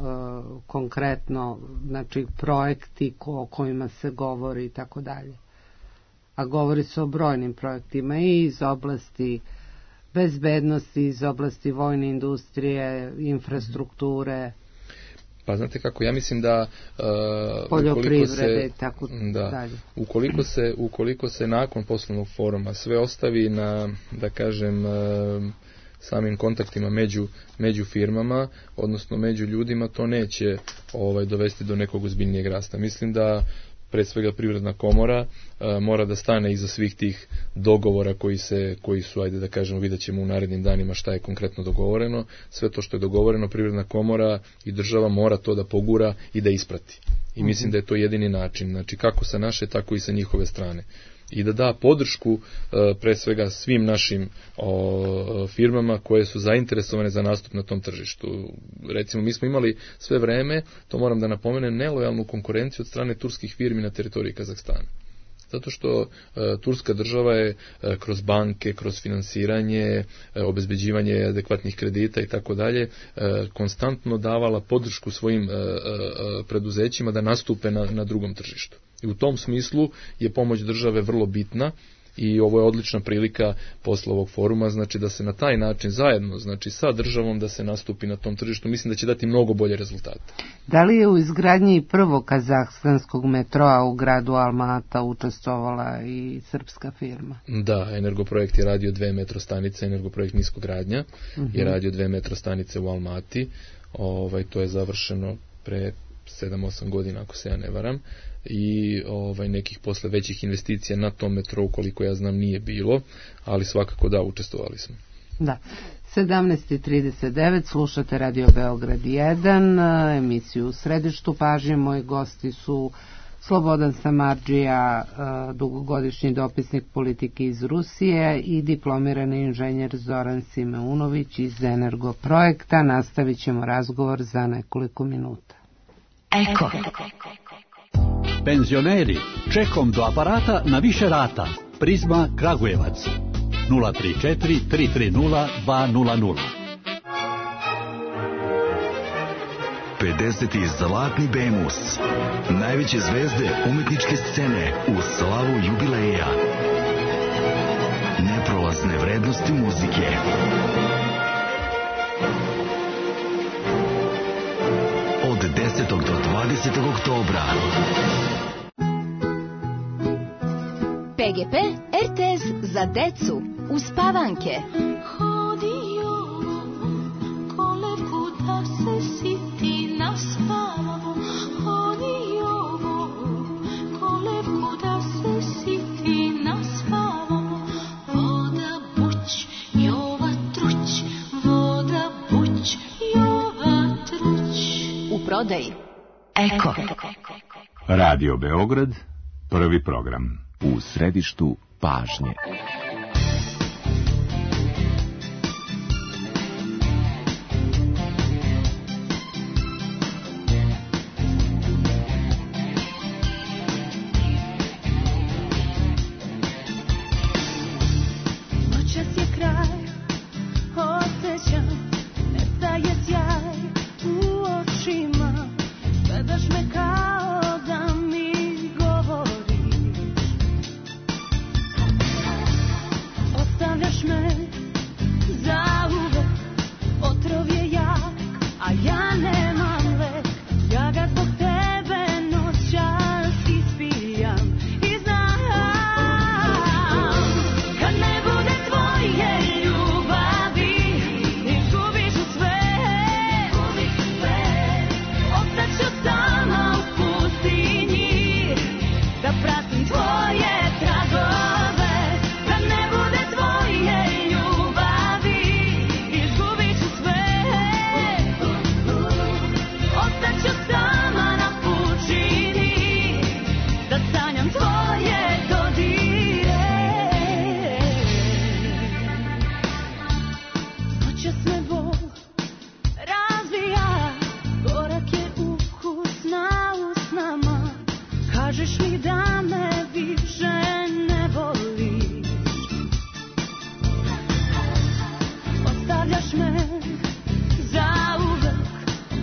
[SPEAKER 2] konkretno, znači, projekti ko, o kojima se govori i tako dalje? A govori se o brojnim projektima i iz oblasti bezbednosti, iz oblasti vojne industrije, infrastrukture.
[SPEAKER 3] Pa znate kako, ja mislim da uh,
[SPEAKER 2] poljoprivrede i tako
[SPEAKER 3] da,
[SPEAKER 2] dalje.
[SPEAKER 3] Ukoliko se, ukoliko se nakon poslovnog foruma sve ostavi na, da kažem, uh, samim kontaktima među, među firmama, odnosno među ljudima, to neće ovaj, dovesti do nekog ozbiljnijeg rasta. Mislim da pre svega Privredna komora a, mora da stane iza svih tih dogovora koji se koji su, ajde da kažemo, vidjet ćemo u narednim danima šta je konkretno dogovoreno. Sve to što je dogovoreno, Privredna komora i država mora to da pogura i da isprati. I mislim da je to jedini način, znači kako sa naše, tako i sa njihove strane. I da da podršku e, pre svega svim našim o, firmama koje su zainteresovane za nastup na tom tržištu. Recimo, mi smo imali sve vreme, to moram da napomenem, nelojalnu konkurenciju od strane turskih firmi na teritoriji Kazahstana. Zato što e, turska država je e, kroz banke, kroz finansiranje, e, obezbeđivanje adekvatnih kredita i tako dalje, konstantno davala podršku svojim e, e, preduzećima da nastupe na, na drugom tržištu. I u tom smislu je pomoć države vrlo bitna i ovo je odlična prilika posle ovog foruma, znači da se na taj način zajedno, znači sa državom, da se nastupi na tom tržištu. Mislim da će dati mnogo bolje rezultate.
[SPEAKER 2] Da li je u izgradnji prvog kazahstanskog metroa u gradu Almata učestvovala i srpska firma?
[SPEAKER 3] Da, Energoprojekt je radio dve metrostanice, Energoprojekt niskogradnja uh-huh. je radio dve metrostanice u Almati. Ovaj, to je završeno pre sedam osam godina, ako se ja ne varam, i ovaj, nekih posle većih investicija na tom metrou, koliko ja znam, nije bilo, ali svakako da, učestvovali smo.
[SPEAKER 2] Da. sedamnaest i trideset devet, slušate Radio Beograd jedan, emisiju u središtu pažnje. Moji gosti su Slobodan Samardžija, dugogodišnji dopisnik politike iz Rusije, i diplomirani inženjer Zoran Simeunović iz Energoprojekta. Nastavit ćemo razgovor za nekoliko minuta.
[SPEAKER 9] Eko. Penzioneri, čekom do aparata na više rata. Prizma Kragujevac. nula tri četiri tri tri nula dva nula nula.
[SPEAKER 10] pedeseti Zlatni Bemus. Najveće zvezde umetničke scene u slavu jubileja. Neprolazne vrednosti muzike. devetnaestog do dvadesetog oktobra.
[SPEAKER 11] P G P R T S za decu uspavanke.
[SPEAKER 12] Hodio kolevku da se siti naspavamo. Hodio kolevku da se siti naspavamo. Voda buć, Jova truć, voda buć, Jova truć.
[SPEAKER 11] U prodaji Eko.
[SPEAKER 13] Radio Beograd, prvi program. U središtu pažnje.
[SPEAKER 12] Noćas je kraj, osjećam, nestaje sjaj u očima, gledaš me kao da mi govoriš. Ostavljaš me zauvek, otrov je jak, a ja nemam lek. Ja ga zbog tebe noćas ispijam i znam, kad ne bude tvoje ljubavi, izgubiš u sve, ostaću sama u pustinji, da pratim tvoje tragove. Kad ne bude tvoje ljubavi, izgubiš u sve, ostaću sama na pučini, da sanjam tvoje dodire. Noćas me bol razvija, gorak je ukus na usnama. Kažeš mi da me više ne voliš, ostavljaš me zauvek,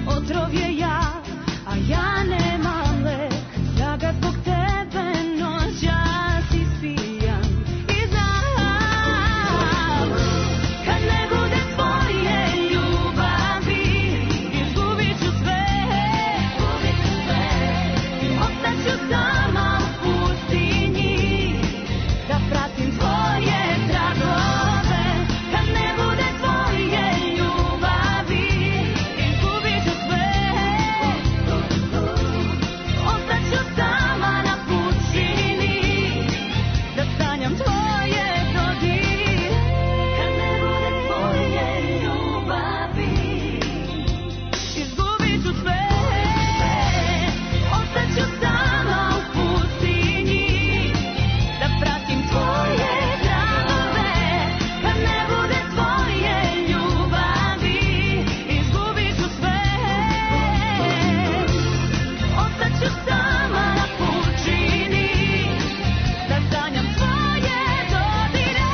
[SPEAKER 12] otrov je jak, a ja nemam lek. Ja ga zbog tebe noćas ispijam i znam, kad ne bude tvoje ljubavi, izgubit ću sve, ostaću sama u pustinji, da pratim tvoje tragove. Kad ne bude tvoje ljubavi, izgubit ću sve, ostaću sama na pučini, da sanjam tvoje dodire. Kad ne bude tvoje ljubavi, izgubit ću sve, ostaću sama u pustinji, da pratim tvoje tragove. Kad ne bude tvoje ljubavi, izgubit ću sve, ostaću sama na pučini, da sanjam tvoje dodire.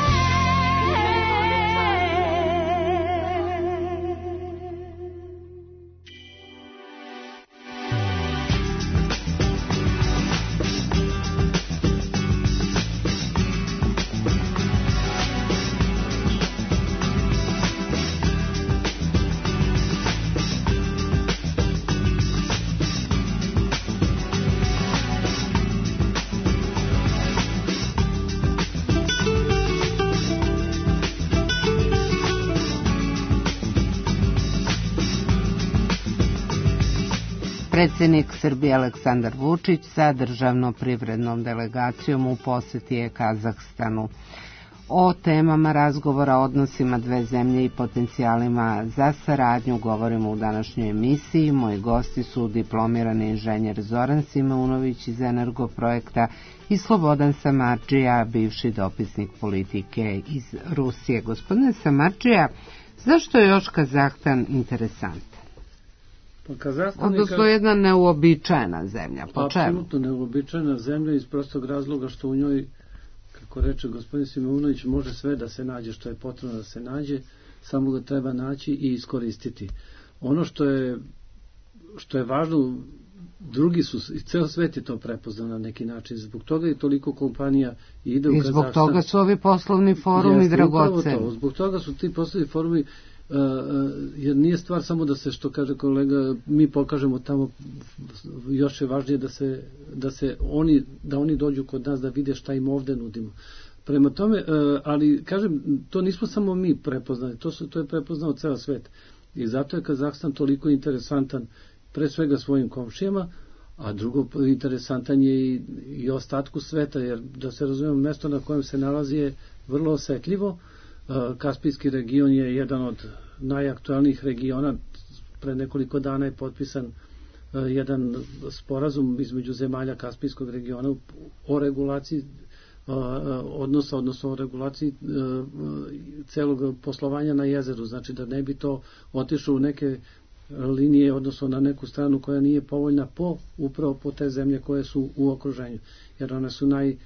[SPEAKER 2] Predsjednik Srbije Aleksandar Vučić sa državno-privrednom delegacijom u posjeti je Kazahstanu. O temama razgovora, odnosima dve zemlje i potencijalima za saradnju govorimo u današnjoj emisiji. Moji gosti su diplomirani inženjer Zoran Simeunović iz Energoprojekta i Slobodan Samardžija, bivši dopisnik politike iz Rusije. Gospodine Samardžija, zašto je još Kazahstan interesantan? Odnosno jedna neuobičajena zemlja. Po čemu?
[SPEAKER 8] Apsolutno neuobičajena zemlja iz prostog razloga što u njoj, kako reče gospodin Simeunović, može sve da se nađe što je potrebno da se nađe, samo ga treba naći i iskoristiti. Ono što je, što je važno, drugi su, i ceo svet je to prepoznao na neki način, zbog toga je toliko kompanija ide u Kazahstan.
[SPEAKER 2] I zbog toga su ovi poslovni forumi dragoceni.
[SPEAKER 8] Zbog toga su ti poslovni forumi jer nije stvar samo da se, što kaže kolega, mi pokažemo tamo, još je važnije da se, da se oni, da oni dođu kod nas da vide šta im ovde nudimo. Prema tome, ali kažem, to nismo samo mi prepoznali, to, su, to je prepoznao ceo svet. I zato je Kazahstan toliko interesantan pre svega svojim komšijama, a drugo interesantan je i, i ostatku sveta, jer da se razumemo, mesto na kojem se nalazi je vrlo osetljivo. Kaspijski region je jedan od najaktualnijih regiona. Pre nekoliko dana je potpisan jedan sporazum između zemalja Kaspijskog regiona o regulaciji odnosa, odnosno o regulaciji celog poslovanja na jezeru, znači da ne bi to otišlo u neke linije, odnosno na neku stranu koja nije povoljna po, upravo po te zemlje koje su u okruženju, jer one su naj,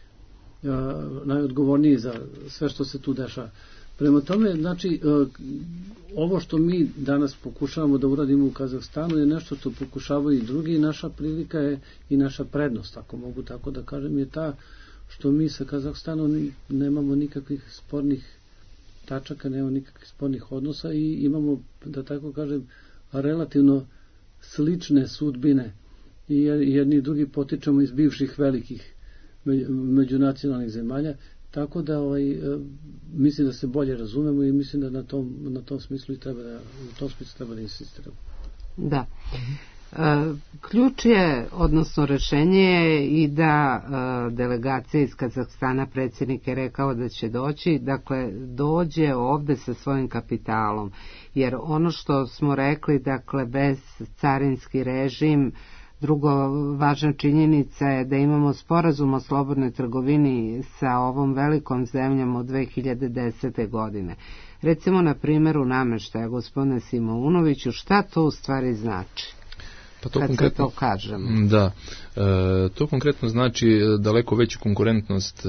[SPEAKER 8] najodgovorniji za sve što se tu dešava. Prema tome, znači, ovo što mi danas pokušavamo da uradimo u Kazahstanu je nešto što pokušavaju i drugi, i naša prilika je i naša prednost, ako mogu tako da kažem, je ta što mi sa Kazahstanom nemamo nikakvih spornih tačaka, nemamo nikakvih spornih odnosa i imamo, da tako kažem, relativno slične sudbine i jedni i drugi potičemo iz bivših velikih međunacionalnih zemalja, tako da ovaj, mislim da se bolje razumemo i mislim da na tom, na tom smislu i treba da, u tom smislu treba da insistiramo.
[SPEAKER 2] Da. Ključ je, odnosno rešenje je i da delegacija iz Kazahstana, predsjednik je rekao da će doći, dakle dođe ovde sa svojim kapitalom, jer ono što smo rekli, dakle bez carinski režim, drugo važna činjenica je da imamo sporazum o slobodnoj trgovini sa ovom velikom zemljom od dve hiljade desete. godine. Recimo na primjeru nameštaja, gospodine Simounoviću, šta to u stvari znači?
[SPEAKER 3] Pa to
[SPEAKER 2] kad
[SPEAKER 3] konkretno,
[SPEAKER 2] se to kažemo.
[SPEAKER 3] Da, e, to konkretno znači daleko veću konkurentnost e,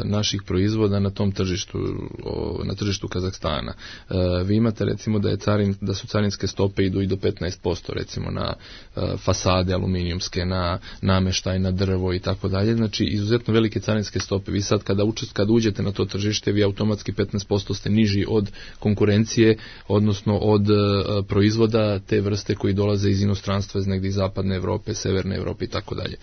[SPEAKER 3] naših proizvoda na tom tržištu, o, na tržištu Kazahstana. E, vi imate recimo da je carin, da su carinske stope idu i do petnaest posto recimo na e, fasade aluminijumske, na nameštaj, na drvo i tako dalje. Znači izuzetno velike carinske stope. Vi sad kada, učest, kada uđete na to tržište, vi automatski petnaest posto ste niži od konkurencije, odnosno od e, proizvoda te vrste koji dolaze iz inostranstva, iz negdje iz zapadne Evrope, severne Evrope i tako dalje.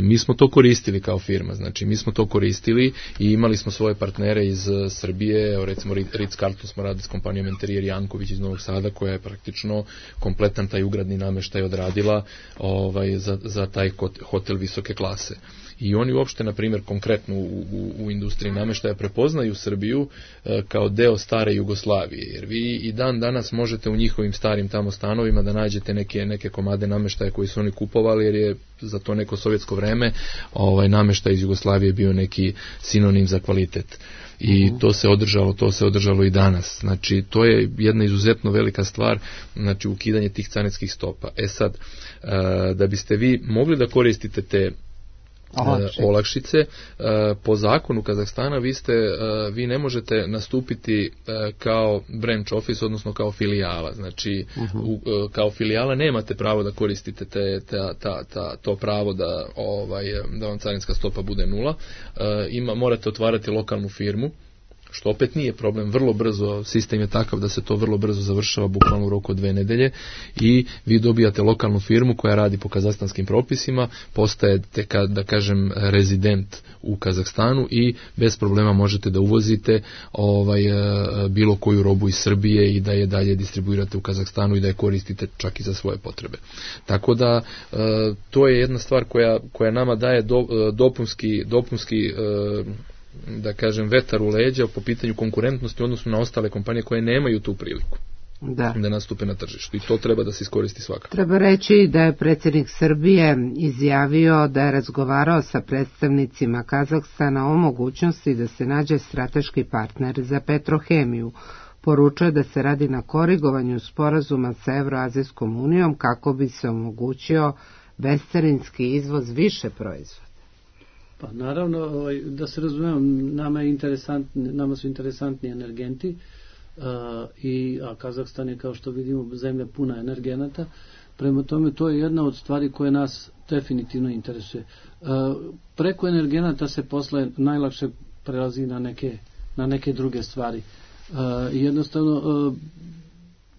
[SPEAKER 3] Mi smo to koristili kao firma, znači mi smo to koristili i imali smo svoje partnere iz Srbije, evo recimo Ritz-Carlton smo radili s kompanijom Interijer Janković iz Novog Sada, koja je praktično kompletan taj ugradni nameštaj odradila ovaj, za, za taj hotel visoke klase. I oni uopšte, na primjer, konkretno u, u, u industriji nameštaja prepoznaju Srbiju e, kao deo stare Jugoslavije, jer vi i dan danas možete u njihovim starim tamo stanovima da nađete neke, neke komade nameštaja koji su oni kupovali, jer je za to neko sovjetsko vreme ovaj nameštaj iz Jugoslavije bio neki sinonim za kvalitet. I to se održalo, to se održalo i danas. Znači, to je jedna izuzetno velika stvar, znači ukidanje tih carinskih stopa. E sad, e, da biste vi mogli da koristite te Olakšice. olakšice. Po zakonu Kazahstana vi, ste, vi ne možete nastupiti kao branch office, odnosno kao filijala. Znači, uh-huh. u, kao filijala nemate pravo da koristite te, ta, ta, ta, to pravo da, ovaj, da vam carinska stopa bude nula. Ima, morate otvarati lokalnu firmu, što opet nije problem, vrlo brzo, sistem je takav da se to vrlo brzo završava, bukvalno u roku od dve nedelje, i vi dobijate lokalnu firmu koja radi po kazahstanskim propisima, postajete, da kažem, rezident u Kazahstanu i bez problema možete da uvozite ovaj, bilo koju robu iz Srbije i da je dalje distribuirate u Kazahstanu i da je koristite čak i za svoje potrebe. Tako da to je jedna stvar koja, koja nama daje do, dopunski, dopunski da kažem, vetar u leđa po pitanju konkurentnosti u odnosu na ostale kompanije koje nemaju tu priliku da, da nastupe na tržištu. I to treba da se iskoristi svakako.
[SPEAKER 2] Treba reći da je predsjednik Srbije izjavio da je razgovarao sa predstavnicima Kazahstana o mogućnosti da se nađe strateški partner za Petrohemiju. Poručuje da se radi na korigovanju sporazuma sa Evroazijskom unijom kako bi se omogućio bescarinski izvoz više proizvoda.
[SPEAKER 8] Pa naravno, ovaj, da se razumemo, nama, je interesantni, nama su interesantni energenti, uh, i, a Kazahstan je, kao što vidimo, zemlja puna energenata. Prema tome, to je jedna od stvari koje nas definitivno interesuje. Uh, preko energenata se posle najlakše prelazi na neke, na neke druge stvari. jednostavno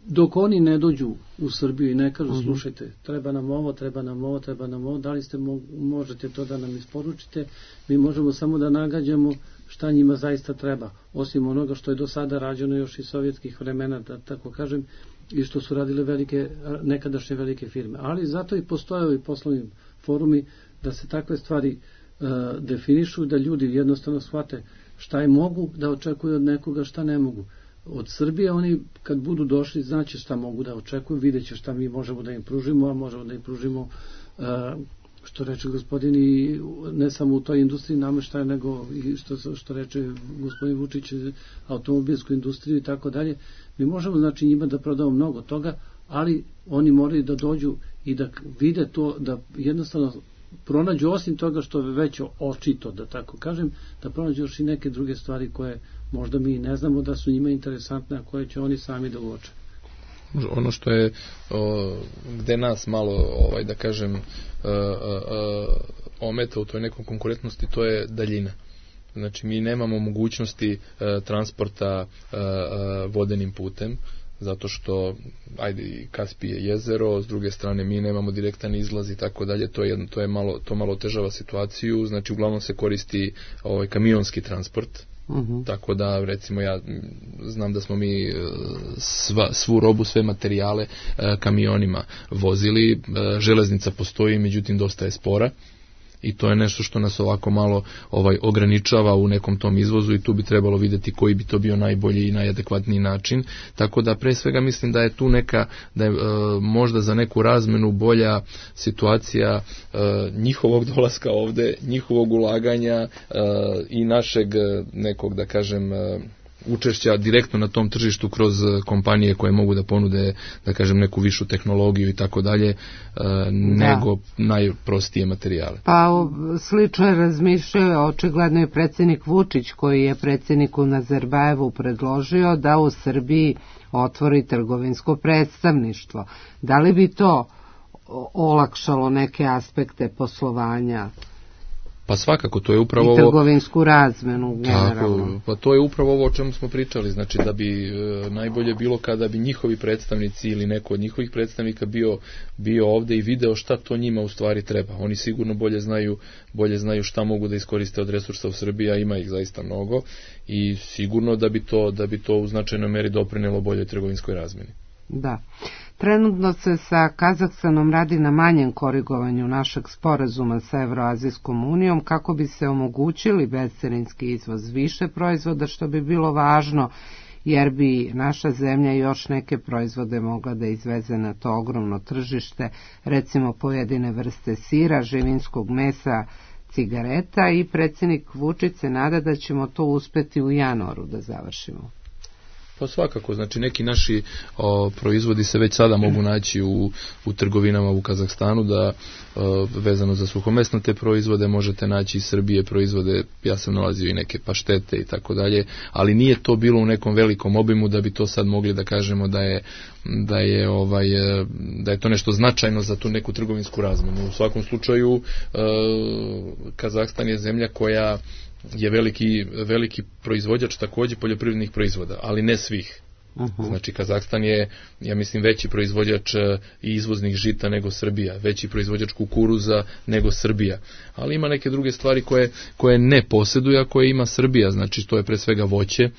[SPEAKER 8] dok oni ne dođu u Srbiju i ne kažu, slušajte, treba nam ovo, treba nam ovo, treba nam ovo, da li ste mo- možete to da nam isporučite, mi možemo samo da nagađamo šta njima zaista treba, osim onoga što je do sada rađeno još iz sovjetskih vremena, da tako kažem, i što su radile velike, nekadašnje velike firme. Ali zato i postoje ovi poslovni forumi da se takve stvari uh, definišu, da ljudi jednostavno shvate šta je mogu da očekuju od nekoga, šta ne mogu. Od Srbije oni kad budu došli znaće šta mogu da očekuju, vidjet će šta mi možemo da im pružimo, a možemo da im pružimo uh, što reče gospodin i ne samo u toj industriji nameštaja, nego i što, što reče gospodin Vučić, automobilsku industriju i tako dalje. Mi možemo znači njima da prodamo mnogo toga, ali oni moraju da dođu i da vide to, da jednostavno pronađu osim toga što je već očito, da tako kažem, da pronađu još i neke druge stvari koje možda mi ne znamo da su njima interesantne, a koje će oni sami da uoče.
[SPEAKER 3] Ono što je o, gde nas malo ovaj da kažem o, o, ometa u toj nekom konkurentnosti, to je daljina. Znači mi nemamo mogućnosti e, transporta e, e, vodenim putem, zato što ajde Kaspije jezero, s druge strane mi nemamo direktan izlaz i tako dalje, to je jedno, to je malo to malo otežava situaciju, znači uglavnom se koristi ovaj kamionski transport. Uh-huh. Tako da recimo ja znam da smo mi sva, svu robu, sve materijale kamionima vozili, železnica postoji, međutim dosta je spora i to je nešto što nas ovako malo ovaj ograničava u nekom tom izvozu i tu bi trebalo vidjeti koji bi to bio najbolji i najadekvatniji način, tako da pre svega mislim da je tu neka, da je e, možda za neku razmenu bolja situacija e, njihovog dolaska ovde, njihovog ulaganja e, i našeg nekog da kažem e, učešća direktno na tom tržištu kroz kompanije koje mogu da ponude, da kažem, neku višu tehnologiju i tako dalje, nego najprostije materijale.
[SPEAKER 2] Pa slično je razmišljao očigledno i predsjednik Vučić, koji je predsjedniku Nazarbajevu predložio da u Srbiji otvori trgovinsko predstavništvo. Da li bi to olakšalo neke aspekte poslovanja?
[SPEAKER 3] Pa svakako, to je upravo ovo...
[SPEAKER 2] I trgovinsku razmenu, generalno.
[SPEAKER 3] Tako, pa to je upravo ovo o čemu smo pričali, znači da bi e, najbolje bilo kada bi njihovi predstavnici ili neko od njihovih predstavnika bio, bio ovde i video šta to njima u stvari treba. Oni sigurno bolje znaju, bolje znaju šta mogu da iskoriste od resursa u Srbiji, a ima ih zaista mnogo i sigurno da bi to, da bi to u značajnoj meri doprinelo boljoj trgovinskoj razmeni.
[SPEAKER 2] Da. Trenutno se sa Kazahstanom radi na manjem korigovanju našeg sporazuma sa Evroazijskom unijom kako bi se omogućili bescarinski izvoz više proizvoda, što bi bilo važno jer bi naša zemlja još neke proizvode mogla da izveze na to ogromno tržište, recimo pojedine vrste sira, živinskog mesa, cigareta, i predsjednik Vučić se nada da ćemo to uspeti u januaru da završimo.
[SPEAKER 3] Pa svakako, znači neki naši o, proizvodi se već sada mogu naći u, u trgovinama u Kazahstanu, da o, vezano za suhomesnate proizvode možete naći iz Srbije proizvode, ja sam nalazio i neke paštete i tako dalje, ali nije to bilo u nekom velikom obimu da bi to sad mogli da kažemo da je da je ovaj da je to nešto značajno za tu neku trgovinsku razmenu. U svakom slučaju e, Kazahstan je zemlja koja je veliki, veliki proizvođač također poljoprivrednih proizvoda, ali ne svih. Uh-huh. Znači Kazahstan je, ja mislim, veći proizvođač i izvoznih žita nego Srbija, veći proizvođač kukuruza nego Srbija, ali ima neke druge stvari koje, koje ne posjeduje, a koje ima Srbija, znači to je pre svega voće.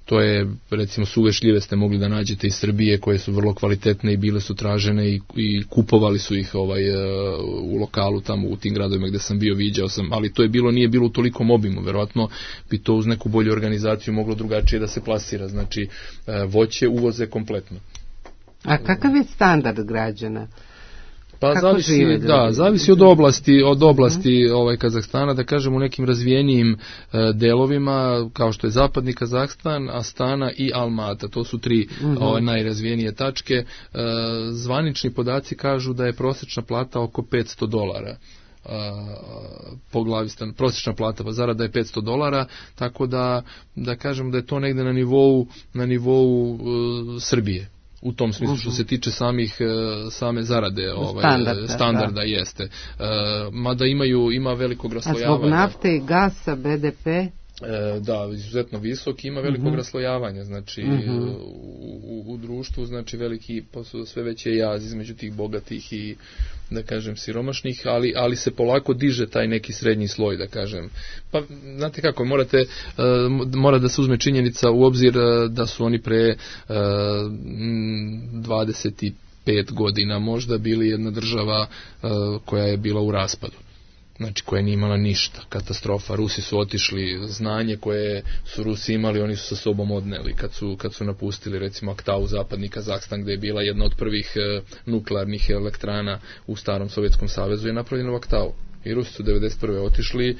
[SPEAKER 3] To je, recimo, suve šljive ste mogli da nađete iz Srbije, koje su vrlo kvalitetne i bile su tražene i, i kupovali su ih ovaj, u lokalu tamo u tim gradovima gde sam bio, viđao sam, ali to je bilo, nije bilo u tolikom obimu, verovatno bi to uz neku bolju organizaciju moglo drugačije da se plasira, znači voće uvoze kompletno.
[SPEAKER 2] A kakav je standard građana?
[SPEAKER 3] Pa
[SPEAKER 2] Kako
[SPEAKER 3] zavisi,
[SPEAKER 2] žive,
[SPEAKER 3] da, zavisi od oblasti, od oblasti ovaj Kazahstana, da kažem u nekim razvijenijim e, delovima, kao što je zapadni Kazahstan, Astana i Almata, to su tri uh-huh. ovaj, najrazvijenije tačke. E, zvanični podaci kažu da je prosječna plata oko petsto dolara. Uh, po glavi stan, prosječna plata, pa zarada je petsto dolara, tako da, da kažem da je to negde na nivou, na nivou uh, Srbije. U tom smislu što se tiče samih same zarade, ovaj standarda, standarda da. Jeste. E, mada imaju ima velikog raslojavanja.
[SPEAKER 2] A zbog nafte i gasa B D P?
[SPEAKER 3] E, da, izuzetno visok, ima velikog mm-hmm. raslojavanja, znači mm-hmm. u, u, u društvu, znači veliki, sve veći je jaz između tih bogatih i, da kažem, siromašnih, ali, ali se polako diže taj neki srednji sloj, da kažem. Pa, znate kako, morate, uh, mora da se uzme činjenica u obzir uh, da su oni pre uh, dvadeset pet godina možda bili jedna država uh, koja je bila u raspadu. Znači, koja nije imala ništa, katastrofa. Rusi su otišli, znanje koje su Rusi imali, oni su sa sobom odneli kad su, kad su napustili, recimo, Aktau, zapadni Kazahstan, gde je bila jedna od prvih e, nuklearnih elektrana u starom Sovjetskom savezu, je napravljena u Aktau. I Rusi su devedeset prve otišli,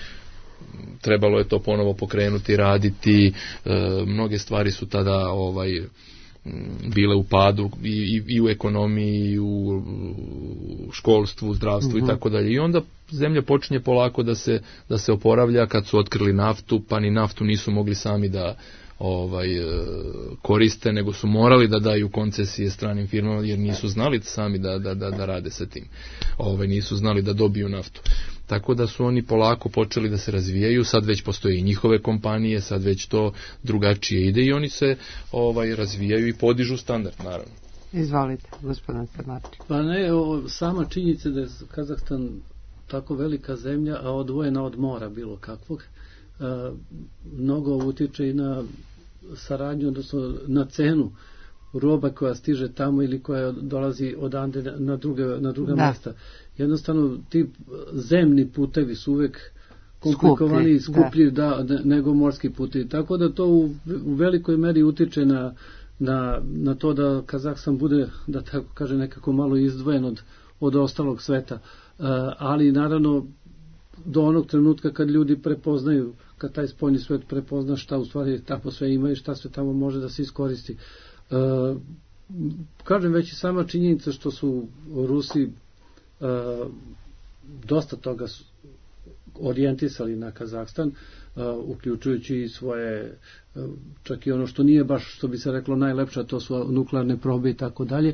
[SPEAKER 3] trebalo je to ponovo pokrenuti, raditi, e, mnoge stvari su tada ovaj bile u padu i, i, i u ekonomiji, i u školstvu, zdravstvu uh-huh. i tako dalje. I onda zemlja počinje polako da se, da se oporavlja. Kad su otkrili naftu, pa ni naftu nisu mogli sami da ovaj koriste, nego su morali da daju koncesije stranim firmama, jer nisu znali sami da, da, da, da rade sa tim. Ovaj, nisu znali da dobiju naftu. Tako da su oni polako počeli da se razvijaju, sad već postoje i njihove kompanije, sad već to drugačije ide i oni se ovaj razvijaju i podižu standard, naravno.
[SPEAKER 2] Izvolite, gospodin Samarči.
[SPEAKER 8] Pa ne, o, sama činjenica da je Kazahstan tako velika zemlja, a odvojena od mora bilo kakvog, a, mnogo utiče i na saradnju, odnosno na cenu roba koja stiže tamo ili koja dolazi odande na druge, na druga da. mjesta. Jednostavno, ti zemni putevi su uvek komplikovani i skuplji da. Da, nego morski putevi. Tako da to u, u velikoj meri utiče na, na, na to da Kazahstan bude, da tako kaže, nekako malo izdvojen od, od ostalog sveta. Uh, ali naravno, do onog trenutka kad ljudi prepoznaju, kad taj spoljni svet prepozna šta u stvari tamo sve ima i šta sve tamo može da se iskoristi. Uh, kažem, već i sama činjenica što su Rusi uh, dosta toga orijentisali na Kazahstan, uh, uključujući i svoje, uh, čak i ono što nije baš, što bi se reklo, najlepša, to su nuklearne probe i tako dalje.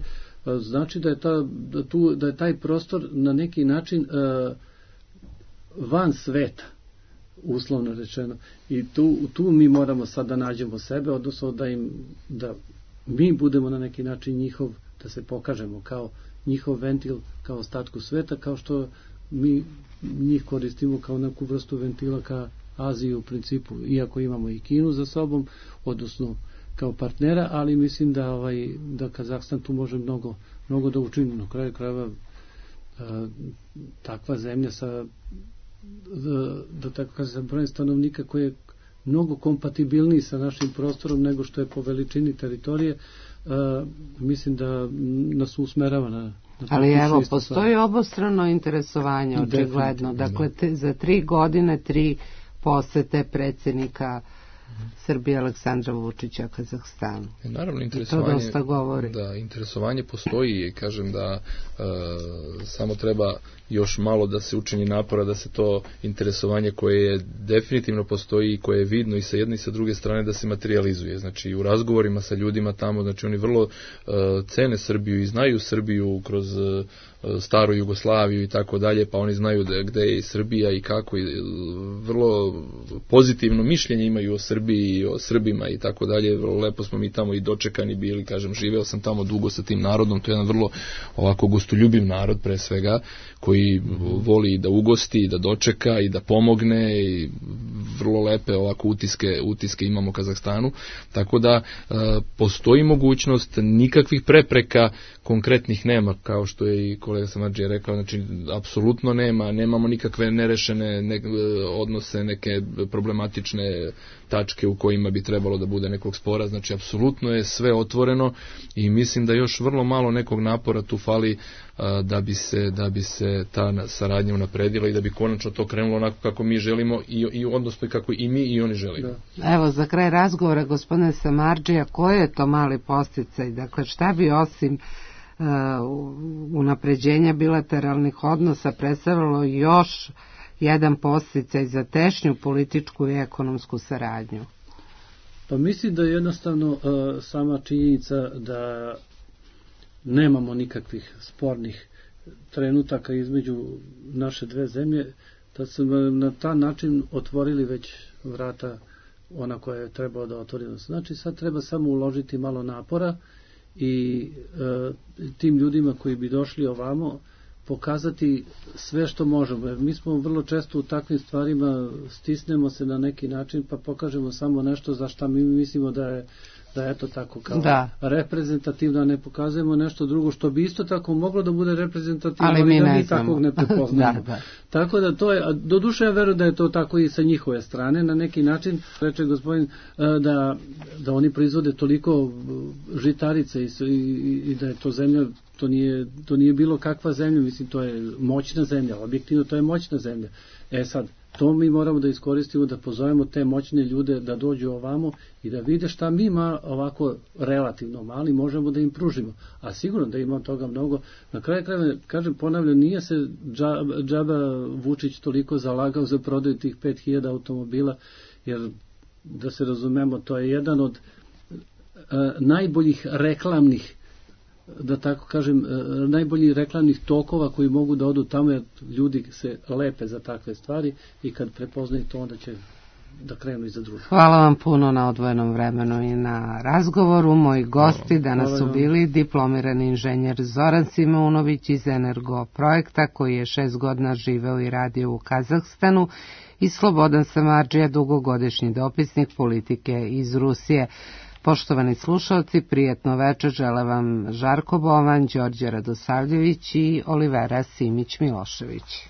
[SPEAKER 8] Uh, znači da je, ta, da, tu, da je taj prostor na neki način uh, van sveta, uslovno rečeno. I tu, tu mi moramo sad da nađemo sebe, odnosno da im, da mi budemo na neki način njihov, da se pokažemo kao njihov ventil, kao ostatku sveta, kao što mi njih koristimo kao neku vrstu ventila ka Aziji u principu, iako imamo i Kinu za sobom, odnosno kao partnera, ali mislim da ovaj da Kazahstan tu može mnogo, mnogo da učini. Na kraju krajeva takva zemlja sa da, da tako kažem, sa brojem stanovnika koji je mnogo kompatibilniji sa našim prostorom nego što je po veličini teritorije, uh, mislim da nas usmerava na, na
[SPEAKER 2] ali evo, postoji obostrano interesovanje, očigledno. Dakle, te, za tri godine, tri posete predsjednika Srbije Aleksandra Vučića Kazahstanu.
[SPEAKER 3] E, naravno, interesovanje,
[SPEAKER 2] to dosta govori.
[SPEAKER 3] Da, interesovanje postoji i kažem da e, samo treba još malo da se učini napora da se to interesovanje koje je definitivno postoji i koje je vidno i sa jedne i sa druge strane da se materializuje. Znači, u razgovorima sa ljudima tamo, znači oni vrlo e, cene Srbiju i znaju Srbiju kroz e, staru Jugoslaviju i tako dalje, pa oni znaju da, gde je Srbija i kako, i vrlo pozitivno mišljenje imaju o Srbiji i o Srbima i tako dalje. Vrlo lepo smo mi tamo i dočekani bili, kažem, živeo sam tamo dugo sa tim narodom, to je jedan vrlo ovako gostoljubiv narod pre svega, koji voli da ugosti, da dočeka i da pomogne i vrlo lepe ovako utiske, utiske imamo u Kazahstanu, tako da e, postoji mogućnost, nikakvih prepreka konkretnih nema, kao što je i kolega Samarđija rekao, znači apsolutno nema, nemamo nikakve nerešene ne, odnose, neke problematične tačke u kojima bi trebalo da bude nekog spora, znači apsolutno je sve otvoreno i mislim da još vrlo malo nekog napora tu fali a, da bi se da bi se ta saradnja unapredila i da bi konačno to krenulo onako kako mi želimo i, i odnosno i kako i mi i oni želimo.
[SPEAKER 2] Da. Evo, za kraj razgovora, gospodine Samarđija, koji je to mali podsticaj, dakle šta bi osim uh, unapređenja bilateralnih odnosa predstavljalo još jedan podsticaj za tešnju političku i ekonomsku saradnju?
[SPEAKER 8] Pa mislim da je jednostavno uh, sama činjenica da nemamo nikakvih spornih trenutaka između naše dve zemlje, da su na taj način otvorili već vrata ona koja je trebao da otvori nos. Znači sad treba samo uložiti malo napora i e, tim ljudima koji bi došli ovamo pokazati sve što možemo. Jer mi smo vrlo često u takvim stvarima stisnemo se na neki način pa pokažemo samo nešto za šta mi mislimo da je da je to tako kao da. reprezentativno, a ne pokazujemo nešto drugo što bi isto tako moglo da bude reprezentativno, ali mi, da mi takvog ne prepoznamo. da, da. Tako da to je, a do duše ja verujem da je to tako i sa njihove strane, na neki način, reče gospodin, da, da oni proizvode toliko žitarice i, i, i da je to zemlja, to nije, to nije bilo kakva zemlja, mislim, to je moćna zemlja, objektivno to je moćna zemlja. E sad, to mi moramo da iskoristimo, da pozovemo te moćne ljude da dođu ovamo i da vide šta mi ima ovako relativno mali možemo da im pružimo. A sigurno da ima toga mnogo. Na kraju krajeva, kažem, ponavljam, nije se džaba, džaba Vučić toliko zalagao za prodaju tih pet hiljada automobila, jer da se razumemo, to je jedan od a, najboljih reklamnih da tako kažem, najbolji reklamnih tokova koji mogu da odu tamo, jer ljudi se lepe za takve stvari i kad prepoznaju to, onda će da krenu i za druge.
[SPEAKER 2] Hvala vam puno na odvojenom vremenu i na razgovoru. Moji gosti danas su bili diplomirani inženjer Zoran Simeunović iz Energo projekta, koji je šest godina živeo i radio u Kazahstanu, i Slobodan Samardžija, dugogodišnji dopisnik politike iz Rusije. Poštovani slušalci, prijetno večer žele vam Žarko Bovan, Đorđe Radosavljević i Olivera Simić Milošević.